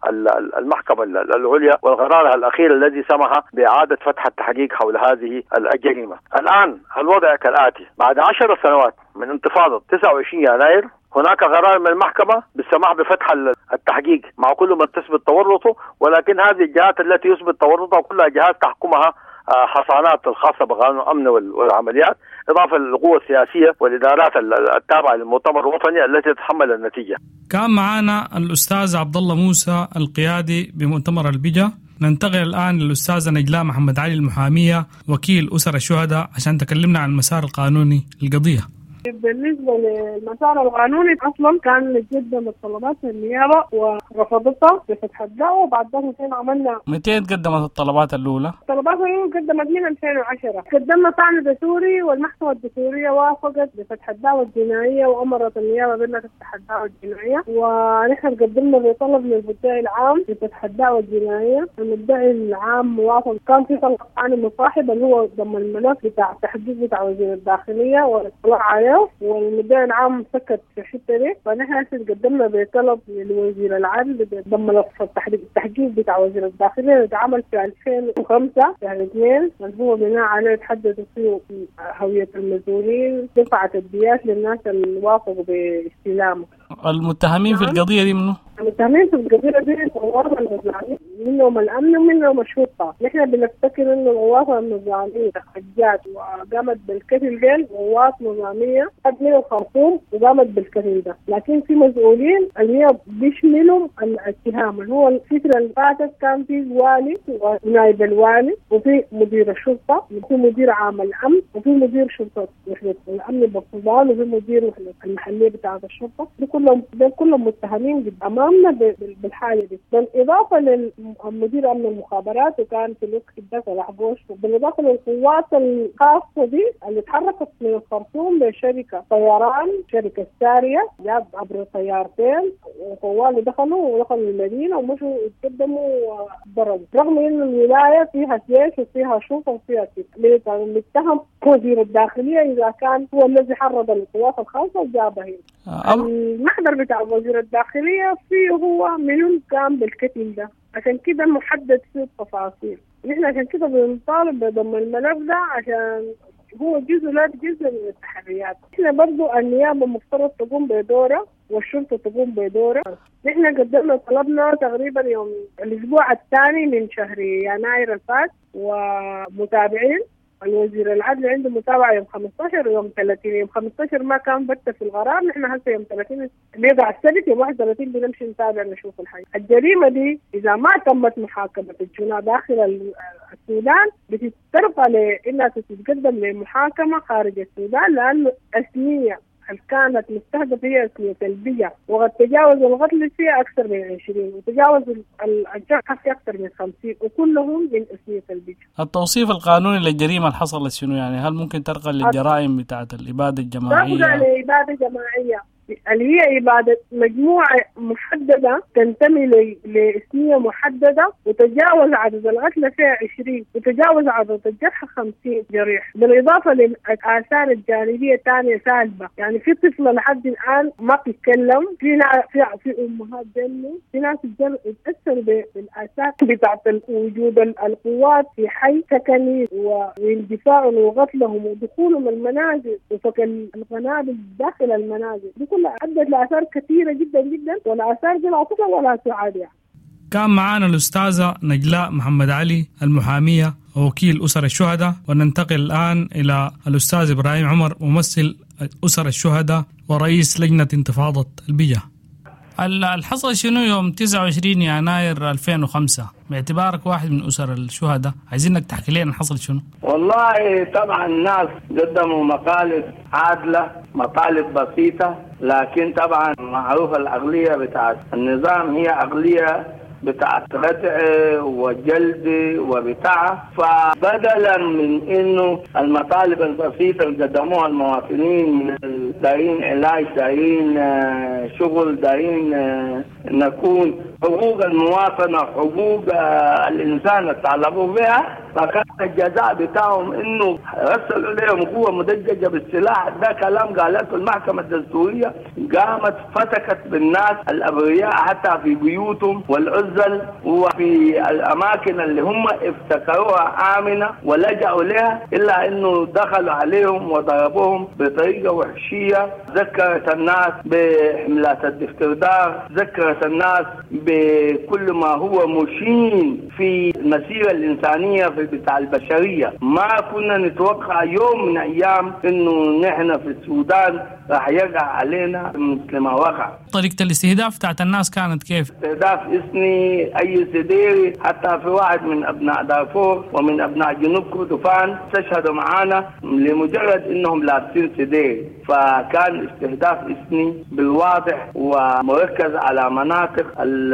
المحكمة العليا والقرار الأخير الذي سمح بإعادة فتح التحقيق حول هذه الجريمة. الآن الوضع كالآتي: بعد 10 سنوات من انتفاضة 29 يناير هناك قرار من المحكمة بالسماح بفتح التحقيق مع كل من تثبت تورطه، ولكن هذه الجهات التي يثبت تورطها كلها جهات تحكمها حصانات الخاصة بقانون الأمن والعمليات، إضافة للقوة السياسية والإدارات التابعة للمؤتمر الوطني التي تتحمل النتيجة. كان معنا الأستاذ عبد الله موسى القيادي بمؤتمر البجا. ننتقل الآن للأستاذة نجلاء محمد علي المحامية وكيل أسر الشهداء عشان تكلمنا عن المسار القانوني للقضية. بالنسبة للمسار القانوني أصلا كان قدم الطلبات للنيابة ورفضتها بفتح الدعوة، وبعد ذلك عملنا. متى قدمت الطلبات الأولى؟ الطلبات الأولى قدمت من 2010، قدمنا طعن دستوري والمحكمة الدستورية وافقت بفتح الدعوة الجنائية وأمرت النيابة بأنها تفتح الدعوة الجنائية، ونحن قدمنا بطلب للمدعي العام بفتح الدعوة الجنائية، المدعي العام وافق. كان في طلب طعن مصاحب اللي هو ضم الملف بتاع التحقيق بتاع وزير الداخلية والاطلاع عليه، والمدعي العام سكت في الحته دي. فنحن قدمنا بطلب للوزير العدل بضم ملف التحقيق بتاع وزير الداخليه اللي اتعمل في 2005 شهر 2، اللي هو بناء عليه تحددوا فيه هويه المسؤولين، دفعت الديات للناس اللي وافقوا باستلامه. المتهمين في القضيه دي منه؟ المتهمين في القضيه دي الغواصه النظامية، منهم الامن ومنهم الشرطه. نحن بنفتكر انه الغواصه النظاميه جات وقامت بالقتل ديل غواص نظاميه من الخرطوم وقامت بالقتل ده، لكن في مسؤولين اللي هي بيشملوا الاتهام. اللي هو الفتره اللي فاتت كان في والي ونائب الوالي وفي مدير الشرطه وفي مدير عام الامن وفي مدير شرطه وحده الامن بالسودان وفي مدير وحده المحليه بتاعه الشرطه، دي كلهم متهمين امامنا بالحاله دي، بالاضافه للمدير امن المخابرات وكان في الوقت ده صلاح قوش، وبالاضافه للقوات الخاصه دي اللي تحركت من الخرطوم لشركه طيران، شركه ساريه، جاب عبر طيارتين وطوال دخلوا المدينه ومشوا يتقدموا وضربوا، رغم انه الولايه فيها جيش وفيها شرطه وفيها كده. المتهم وزير الداخليه اذا كان هو الذي حرض القوات الخاصه وجابها هنا. المحضر بتاع وزير الداخليه فيه هو منو كان بالقتل ده، عشان كده محدد فيه التفاصيل. نحن عشان كده بنطالب بضم الملف ده عشان هو جزء لا جزء من التحريات. احنا برضو النيابة مفترض تقوم بدورها والشرطة تقوم بدورها. نحن قدمنا طلبنا تقريبا يوم الأسبوع الثاني من شهر يناير الفات، ومتابعين الوزير العدل عنده متابعة يوم 15 ويوم 30. يوم 15 ما كان بت في القرار، نحن هسه يوم 30 بيقع السبت، يوم 31 بنمشي نتابع نشوف الحاجة. الجريمة دي إذا ما تمت محاكمة الجناة داخل السودان بتترقى لأنها تتقدم لمحاكمة خارج السودان، لأنه أثنية كانت مستهدفة هي أثنية البيئة، وقد تجاوز القتل فيها أكثر من 20 وتجاوز الجرحى في أكثر من 50، وكلهم من أثنية البيئة. التوصيف القانوني للجريمة اللي حصلت شنو يعني؟ هل ممكن ترقى للجرائم بتاعت الإبادة الجماعية؟ ترقى لإبادة جماعية. اللي هي إبادة مجموعة محددة تنتمي لإثنية محددة، وتجاوز عدد القتلى فيها 20 وتجاوز عدد الجرحى 50 جريح، بالإضافة للآثار الجانبية الثانية سالبة. يعني في طفلة لحد الآن ما بتتكلم، في في أمهات جنوا، في ناس اتأثروا بالآثار بتاعت وجود القوات في حي سكني واندفاعهم وقتلهم ودخولهم المنازل وفك القنابل داخل المنازل. دي كلها أدت لآثار كثيرة جدا جدا، والآثار دي لا تصل ولا تعاد. يعني كان معانا الأستاذة نجلاء محمد علي المحامية ووكيل أسر الشهداء، وننتقل الآن إلى الأستاذ إبراهيم عمر ممثل أسر الشهداء ورئيس لجنة انتفاضة البجا. الحصل شنو يوم 29 يناير 2005 باعتبارك واحد من أسر الشهداء، عايزينك تحكي لنا حصل شنو؟ والله طبعا الناس قدموا مطالب عادلة، مطالب بسيطة، لكن طبعا معروف العقلية بتاعت النظام هي عقلية بتاعت ردع وجلد وبتاع. فبدلا من انه المطالب البسيطه اللي قدموها المواطنين من دايرين علاج، دايرين شغل، دايرين نكون حقوق المواطنه، حقوق الانسان اللي طالبوا بها، فكان الجزاء بتاعهم انه رسلوا لهم قوه مدججه بالسلاح. ده كلام قالته المحكمه الدستوريه، قامت فتكت بالناس الابرياء حتى في بيوتهم والعزل وفي الاماكن اللي هم افتكروها امنه ولجأوا لها، الا انه دخلوا عليهم وضربوهم بطريقه وحشيه. ذكرت الناس بحملات الاسترداد، ذكرت الناس بكل ما هو مشين في المسيره الانسانيه في بتاع البشريه. ما كنا نتوقع يوم من ايام انه نحن في السودان راح يقع علينا مثل ما وقع. طريقه الاستهداف بتاعت الناس كانت كيف؟ استهداف اسمي اي سديري، حتى في واحد من ابناء دارفور ومن ابناء جنوب كردفان استشهدوا معانا لمجرد انهم لابسين سديري. فكان استهداف اسمي بالواضح ومركز على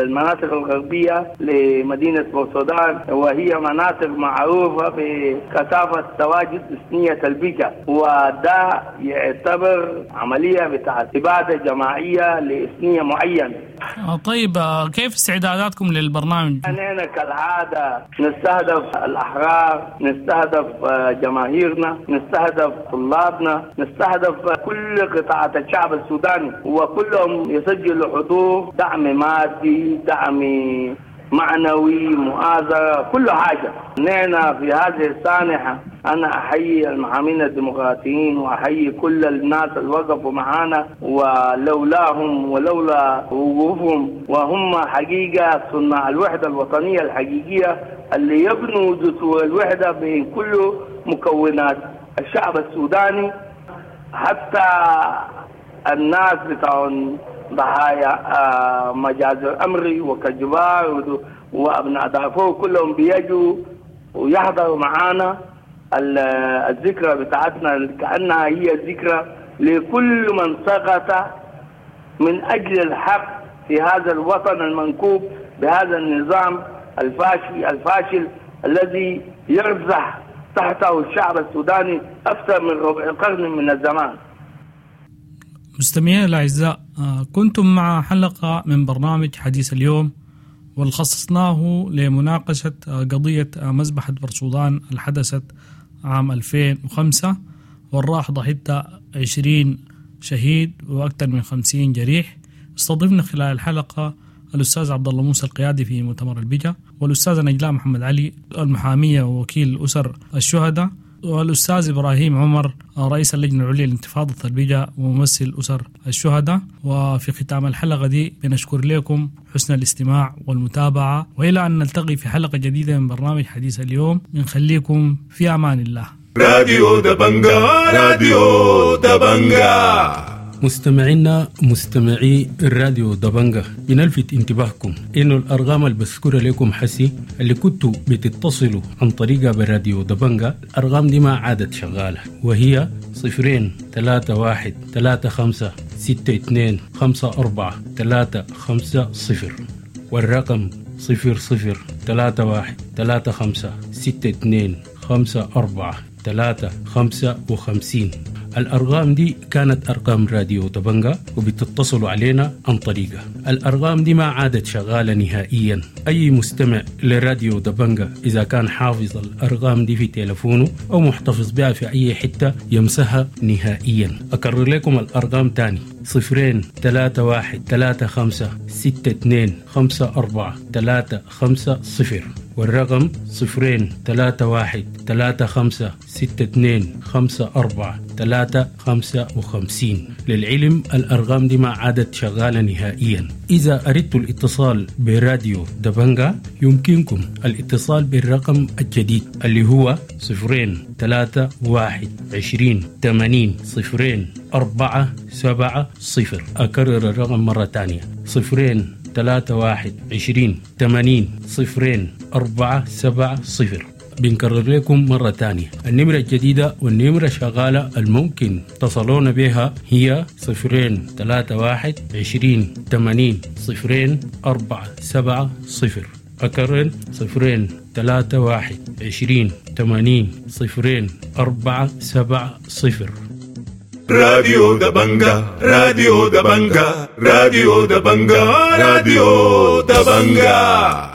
المناطق الغربيه لمدينه بورسودان، وهي مناطق معروفه بكثافه تواجد اثنيه البيكا، وده يعتبر عمليه بتاعت اباده جماعيه لاثنيه معينه. طيب كيف استعداداتكم للبرنامج؟ نحن كالعاده نستهدف الاحرار، نستهدف جماهيرنا، نستهدف طلابنا، نستهدف كل قطاعات الشعب السوداني، وكلهم يسجلوا حضور، دعم مادي، دعم معنوي، مؤازرة، كل حاجة. نحن في هذه السانحة أنا أحيي المحامين الديمقراطيين وأحيي كل الناس اللي وقفوا معانا، ولولاهم ولولا وقوفهم، وهم حقيقة صناع الوحدة الوطنية الحقيقية اللي يبنوا جسور الوحدة بين كل مكونات الشعب السوداني، حتى الناس بتاعون ضحايا مجازر أمري وكجبار وأبناء دارفور كلهم بيجوا ويحضروا معانا الذكرى بتاعتنا، كأنها هي ذكرى لكل من سقط من أجل الحق في هذا الوطن المنكوب بهذا النظام الفاشل الذي يرزح تحته الشعب السوداني أكثر من ربع قرن من الزمان. مستمعينا الأعزاء، كنتم مع حلقة من برنامج حديث اليوم، واللي خصصناه لمناقشة قضية مذبحة بورسودان اللي حدثت عام 2005، والراح ضحيتها 20 شهيد وأكثر من 50 جريح. استضفنا خلال الحلقة الأستاذ عبد الله موسى القيادي في مؤتمر البجا، والأستاذة نجلاء محمد علي المحامية ووكيل أسر الشهداء، والأستاذ إبراهيم عمر رئيس اللجنة العليا لانتفاضة البجا وممثل أسر الشهداء. وفي ختام الحلقة دي بنشكر لكم حسن الاستماع والمتابعة، وإلى أن نلتقي في حلقة جديدة من برنامج حديث اليوم، بنخليكم في أمان الله. راديو دبنجا، راديو دبنجا. مستمعينا مستمعي الراديو دبنجا، بنلفت انتباهكم انه الارقام اللي بذكرها لكم حسي اللي كنتوا بتتصلوا عن طريقها بالراديو دبنجا، الارقام دي ما عادت شغاله، وهي 0 3 1 3 5 6 2 5 4 3 5 0، والرقم 0 0 3 1 3 5 6 2 5 4 3 55. الأرقام دي كانت أرقام راديو دبنجا وبتتصلوا علينا عن طريقها. الأرقام دي ما عادت شغالة نهائيا. أي مستمع لراديو دبنجا إذا كان حافظ الأرقام دي في تلفونه أو محتفظ بها في أي حتة يمسحها نهائيا. أكرر لكم الأرقام تاني: 0 3 1 3 5 6 2 5 4 3 5 0، والرقم 0 3 1 3 5 6 2 5 4 3 55. للعلم الأرقام دي ما عادت شغالة نهائيا. إذا أردت الاتصال براديو دبنجا يمكنكم الاتصال بالرقم الجديد اللي هو 0 3 1 20 80 0 4 7 0. أكرر الرقم مرة تانية: 0 3 1 20 80 0 4 7 0. بنكرر لكم مرة تانية النمرة الجديدة والنمرة شغالة الممكن تصلون بها هي 0 3 1 20 80 0 4 7 0. أكرر 0 3 1 20 80 0 4 7 0. راديو دبنجا، راديو دبنجا، راديو دبنجا، راديو دبنجا.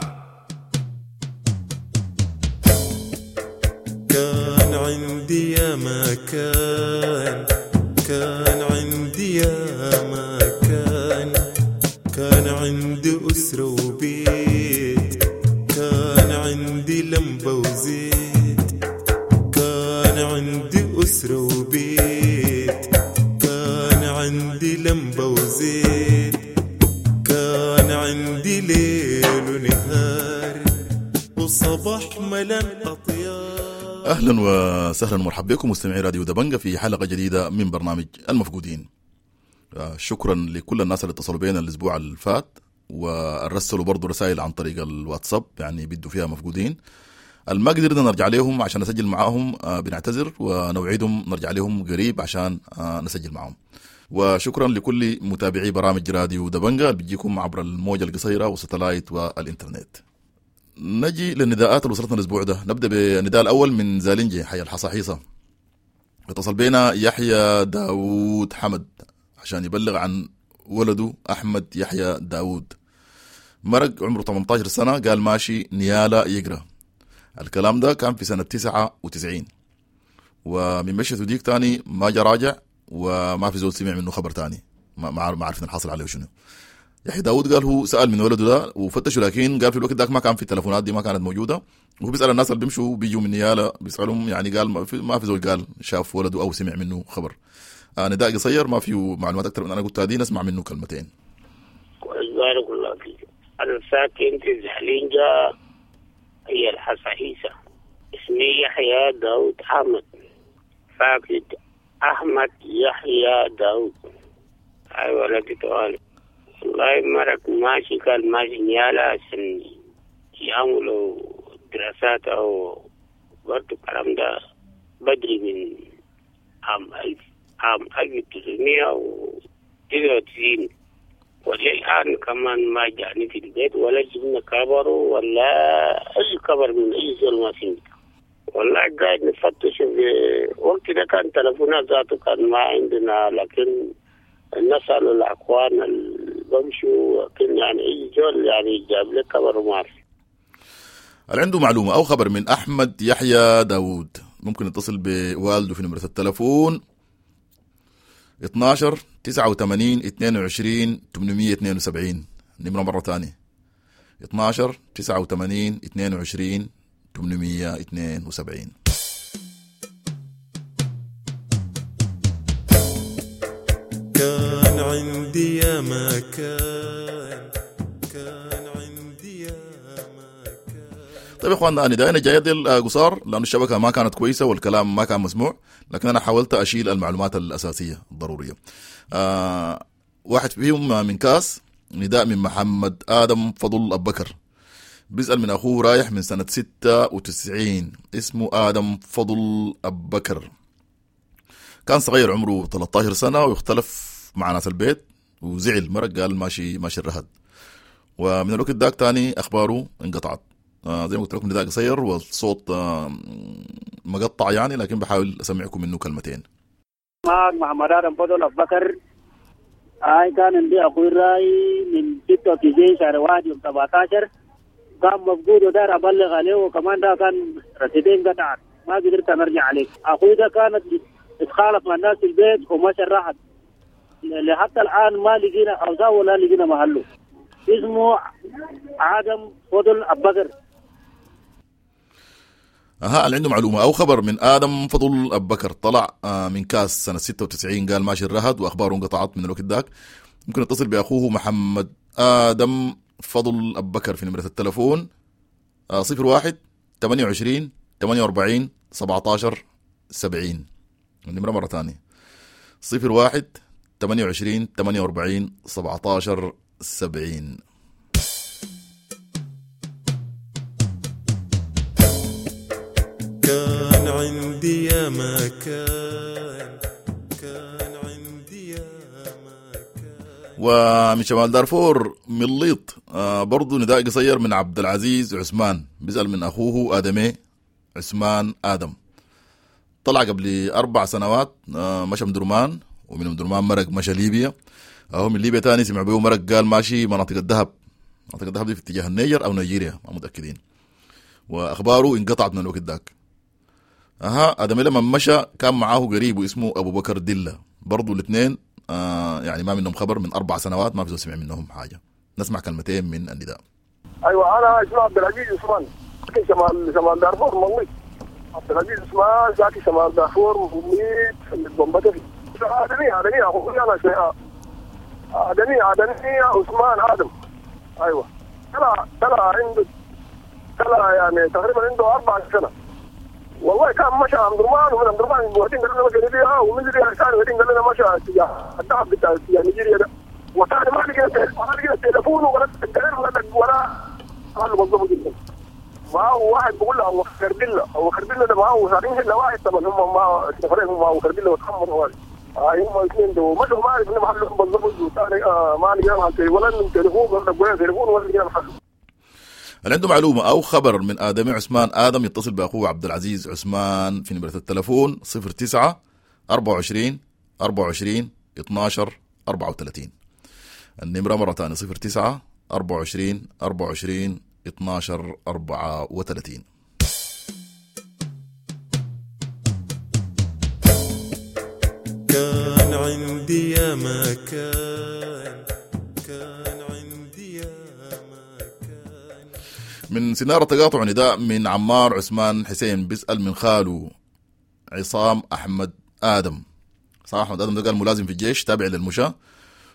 كان عندي يا ما كان، كان عندي يا ما كان، كان عندي أسرة وبيت، كان عندي لمبة وزيت، كان عندي أسرة وبيت، كان عندي لمبة وزيت، كان عندي ليل ونهار وصباح ملان أطيار. اهلا وسهلا ومرحبا بكم مستمعي راديو دبنجا في حلقة جديدة من برنامج المفقودين. شكرا لكل الناس اللي اتصلوا بينا الاسبوع اللي فات ورسلوا برضو رسائل عن طريق الواتساب، يعني بيدوا فيها مفقودين. ما قدرنا نرجع لهم عشان نسجل معاهم، بنعتذر ونوعدهم نرجع لهم قريب عشان نسجل معاهم. وشكرا لكل متابعي برامج راديو دبنجا اللي بيجيكم عبر الموجة القصيرة والستلايت والإنترنت. نجي للنداءات اللي وصلتنا الأسبوع ده. نبدأ بالنداء الأول من زالنجي حي الحصاحيصة. اتصل بينا يحيى داوود حمد عشان يبلغ عن ولده أحمد يحيى داوود. مرق عمره 18 سنة، قال ماشي نيالا يقرأ. الكلام ده كان في سنة 99، ومن مشيته ديك تاني ما جا راجع، وما في زول سمع منه خبر تاني، ما عرفنا الحصل عليه شنو. يحيى داود قال هو سأل من ولده ده وفتشه، لكن قال في الوقت ذاك ما كان في التلفونات دي، ما كانت موجودة. وهو بيسأل الناس اللي بيمشوا بيجوا من نيالا بيسألهم، يعني قال ما في زول قال شاف ولده أو سمع منه خبر. نداء قصير ما فيه معلومات أكثر من أنا قلتها دي، نسمع منه كلمتين. بارك الله فيك. أنا ساكن في زحلينجا هي الحصاحيصة. اسمي يحيى داود أحمد، فاقد أحمد يحيى داود. أي ولدي طوالي والله مرق ماشي، كان ماشي نيالا عشان يعملوا دراسات أو برضو الكلام ده بدري من عام 1999، وللآن كمان ما جاني في البيت ولا جبنا كبره ولا أي كبر من أي زول ما فيه. والله قاعد نفتش في وقت ده كان تلفونات ذاته كان ما عندنا، لكن نسأل الأخوان اللي بمشوا، لكن يعني أي زول يعني جاب لك كبر وما في. اللي عنده معلومة أو خبر من أحمد يحيى داوود ممكن يتصل بوالده في نمرة التلفون 12 89 22 872. نمرة مرة تانية 12 89 22 872. كان عندي يا ما كان، كان عندي يا ما كان. طيب يا اخواننا، انا دايما جاي ديل قصار لانه الشبكة ما كانت كويسة والكلام ما كان مسموع، لكن انا حاولت اشيل المعلومات الاساسية الضرورية. واحد فيهم من كاس، نداء من محمد ادم فضل ابو بكر، بيسأل من اخوه رايح من سنة 96، اسمه ادم فضل ابو بكر. كان صغير عمره 13 سنة ويختلف مع ناس البيت وزعل، مرق قال ماشي الرهد، ومن الوقت داك تاني اخباره انقطعت. زي ما قلت لكم نداء قصير والصوت مقطع يعني، لكن بحاول اسمعكم منه كلمتين. معك محمد آدم فضل أبو بكر. هاي كان عندي أخوي راي من 96 شهر 1 يوم 17 كان مفقود ودار أبلغ عليه، وكمان ده كان رصيدين قطعت ما قدرت أرجع عليه. أخوي ده كانت اتخالف مع الناس في البيت ومشى راحت، لحتى الآن ما لقينا أوزاع ولا لقينا محله. اسمه آدم فضل أبو بكر. اها اللي عنده معلومة او خبر من ادم فضل ابو بكر، طلع من كاس سنة 96 قال ماشي الرهد واخباره انقطعت من الوقت ذاك. ممكن يتصل باخوه محمد ادم فضل ابو بكر في نمره التلفون 01 28 48 17 70. النمرة مرة ثانية 01 28 48 17 70. كان عندي يا ما كان، كان عندي يا ما كان. ومن شمال دارفور مليط برضو نداء قصير من عبد العزيز عثمان، بيسأل من أخوه آدمي عثمان آدم، طلع قبل 4 سنوات مشى مدرمان، ومن مدرمان مرق مشى ليبيا، أهو من ليبيا تاني سمع بيه مرق قال ماشي مناطق الذهب، مناطق الذهب دي في اتجاه النيجر أو نيجيريا ما متأكدين، وأخباره انقطعت من الوقت ذاك. اها ادم لما مشى كان معاه قريب اسمه ابو بكر دله، برضو الاثنين يعني ما منهم خبر من 4 سنوات، ما في سمع منهم حاجة. نسمع كلمتين من النداء. ايوه انا اسمي عبد العزيز عثمان، ساكن شمال دارفور مليط. عبد العزيز عثمان ساكن شمال دارفور مليط في البمبتفي. ادمي اخوي انا شيء ادمي عثمان ادم. ايوه طلع عنده يعني تقريبا عنده 4 سنة. والله كان مشى أمدرمان، ومن أمدرمان وقتين قال لنا مشى ليبيا، ومن ليبيا ثاني وقتين قال لنا مشى اتجاه الدهب بتاع اتجاه نيجيريا ده. وثاني ما لقينا تليفون ولا ولا قال بالضبط جدا. معه واحد بيقول له أبو خربلة، أبو خربلة ده معه ساعتين إلا واحد طبعا هم معه سفرين، هم معه خربلة وتحمر واحد. هم اثنين دول مشوا ما عرفنا محلهم بالضبط، وثاني ما لقينا ولا من تليفون ولا تليفون ولا لقينا محله. اللي عنده معلومة أو خبر من آدم عثمان آدم يتصل بأخوه عبد العزيز عثمان في نمرة التلفون 09 24 24 12 34. النمرة مرة ثانية 09 24 24 12 34. كان عندي يا ما كان، كان عندي يا ما كان. من سنارة تقاطع نداء من عمار عثمان حسين، بيسأل من خاله عصام أحمد آدم. عصام أحمد آدم ده قال ملازم في الجيش تابع للمشاة،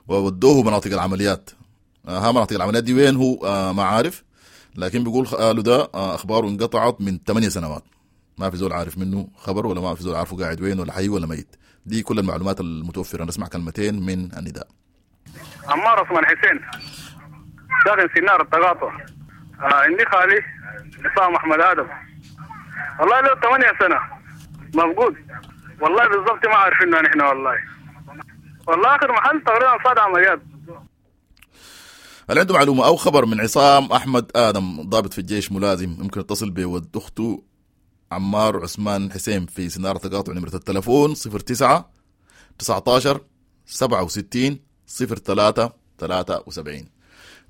وودوه مناطق العمليات. ها مناطق العمليات دي وين هو ما عارف، لكن بيقول خاله ده أخباره انقطعت من 8 سنوات، ما في زول عارف منه خبر، ولا ما في زول عارفه قاعد وين ولا حي ولا ميت. دي كل المعلومات المتوفرة. نسمع كلمتين من النداء. عمار عثمان حسين ساكن سنار التقاطع. عندي خالي عصام أحمد آدم، والله له 8 سنة مفقود، والله بالضبط ما عارفينه نحن. والله آخر محل تقريبا صاد عمليات. هل عنده معلومة أو خبر من عصام أحمد آدم ضابط في الجيش ملازم، ممكن يتصل بود أخته عمار عثمان حسين في سنارة تقاطع نمرة التلفون 09 19 67 03 73.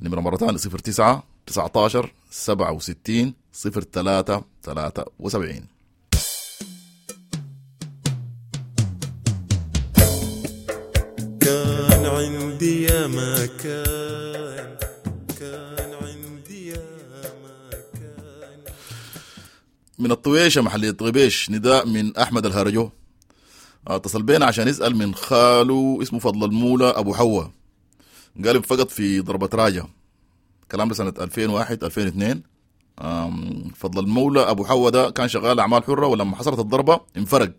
نمرة مرة ثانية 09 19 67 03 73. كان عندي يا ما كان، كان عندي يا ما كان. من الطويشة محلية غبيش نداء من أحمد الهرجو، اتصل بينا عشان يسأل من خاله اسمه فضل المولى أبو حوا، قال انفقد في ضربة راجة، كلام سنة 2001 2002. فضل المولى أبو حوا ده كان شغال أعمال حرة، ولما حصلت الضربة انفرق،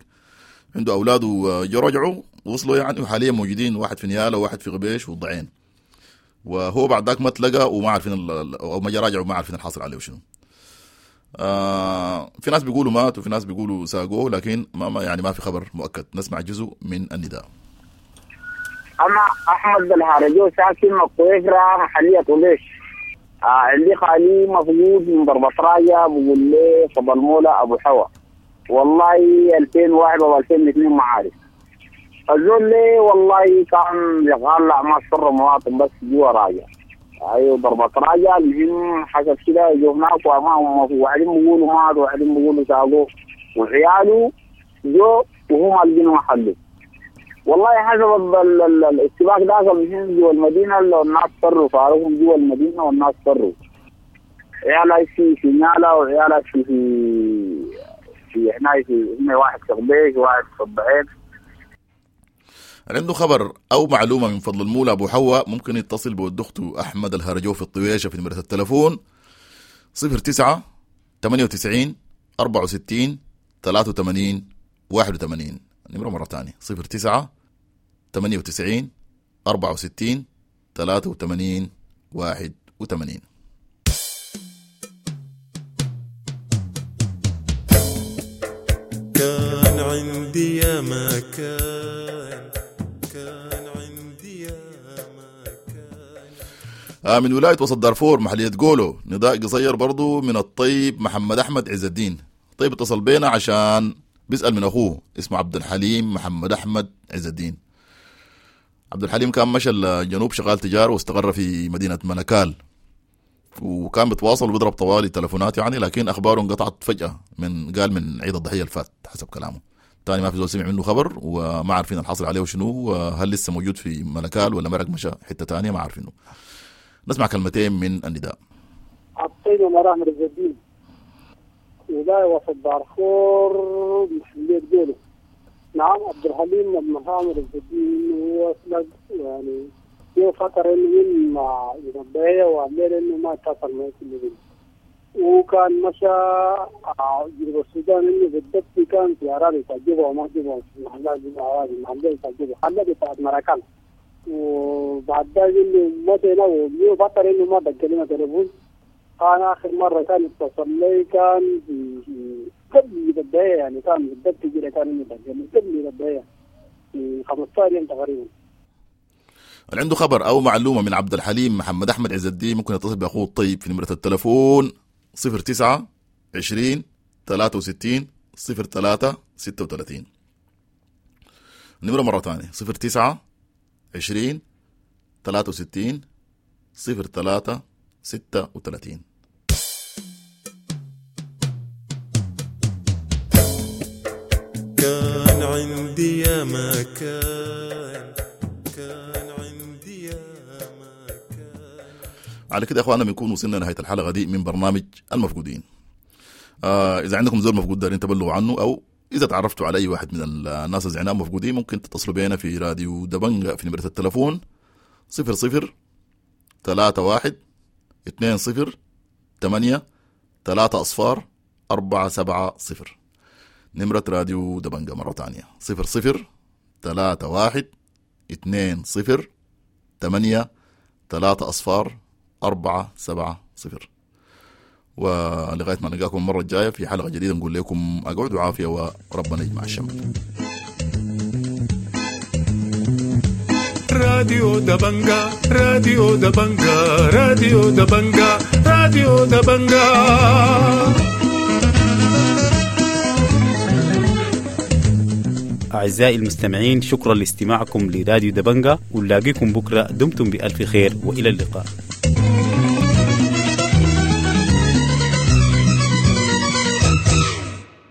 عنده أولاده رجعوا وصلوا يعني، وحاليا موجودين واحد في نيالة وواحد في غبيش والضعين، وهو بعد ذاك ما تلقى وما عارفين أو ما راجع وما عارفين الحاصل عليه وشنو. في ناس بيقولوا مات وفي ناس بيقولوا ساقوه، لكن ما يعني ما في خبر مؤكد. نسمع جزء من النداء. أنا أحمد الهرجو ساكن القويفرة محلية طليش. عندي خالي مفقود من ضربة راية، بقول لي فضل مولى أبو حوا، والله 2001 أو 2002 ما عارف. الزول ليه والله كان شغال اعمال شر مواطن بس جوا راجع. ايوه ضربة راجع. المهم حسب كده جو هناك وما وبعدين بيقولوا مات وبعدين بيقولوا ساقوه وعياله جو وهم لقينا محله. والله حسب الاشتباك ده المهم جوا المدينة الناس فروا، فارقهم جوا المدينة والناس فروا. عيالها في نالا وعيالها في في هنا في واحد في غبيش وواحد في الضعيف. عنده خبر او معلومة من فضل المولى ابو حواء ممكن يتصل بود اخته احمد الهرجو في الطويشه في نمره التلفون 09 98 64 83 81. النمرة مرة ثانية 09 98 64 83 81. كان عندي يا ما كان، كان عندي يا ما كان. من ولاية وسط دارفور محلية قولو نداء قصير برضو من الطيب محمد أحمد عز الدين. طيب اتصل بينا عشان بيسأل من أخوه اسمه عبد الحليم محمد أحمد عز الدين. عبد الحليم كان مشى الجنوب شغال تجارة واستقر في مدينة ملكال، وكان بيتواصل وبيضرب طوالي تلفونات يعني، لكن اخباره انقطعت فجاة من قال من عيد الضحية الفات حسب كلامه. تاني ما في زول سمع منه خبر وما عارفين الحصل عليه شنو، هل لسه موجود في ملكال ولا مرق مشى حتة تانية ما عارفينه. نسمع كلمتين من النداء. الطيب مراهم عز الدين، ولاية وسط دارفور محلية جولة. نعم عبد الحليم محمد عز الدين هو يعني هو فترة إنه من مع الضحية وعمل إنه ما اتصل معي كل يوم، وكان مشى جنوب السودان إنه بالضبط كان في أراضي بتاع جوبا وما جوبا في محلات جوبا أراضي محلات بتاع جوبا محلات بتاعت مراكان. وبعد ذلك إنه مشى هنا وهو فترة إنه ما دق لنا تليفون. كان آخر مرة كان اتصل لي كان في قبل الضحية يعني كان بالضبط كده كان إنه دق لي قبل الضحية في 15 يوم تقريبا. اللي عنده خبر او معلومة من عبد الحليم محمد احمد عز الدين ممكن يتصل باخوه الطيب في نمره التلفون 09 20 63 03 36. النمرة مرة ثانية 09 20 63 03 36. كان عندي يا ما كان، كان عندي يا ما كان. على كده يا اخوانا بنكون وصلنا لنهاية الحلقة دي من برنامج المفقودين. اذا عندكم زول مفقود دارين تبلغوا عنه، او اذا تعرفتوا على اي واحد من الناس اللي زعناهم مفقودين ممكن تتصلوا بينا في راديو دبنجة في نمره التلفون 00 31 20 8 3 0 4 7 0. نمرة راديو دبنجة مرة تانية 00 31 20 8 3 0 4 7 0. ولغاية ما نلقاكم المرة الجاية في حلقة جديدة نقول لكم أقعدوا عافية وربنا يجمع الشمل. راديو دبنجة، راديو دبنجة، راديو دبنجة، راديو دبنجة. أعزائي المستمعين، شكرا لاستماعكم لراديو دبنجة، ونلاقيكم بكرة. دمتم بألف خير وإلى اللقاء.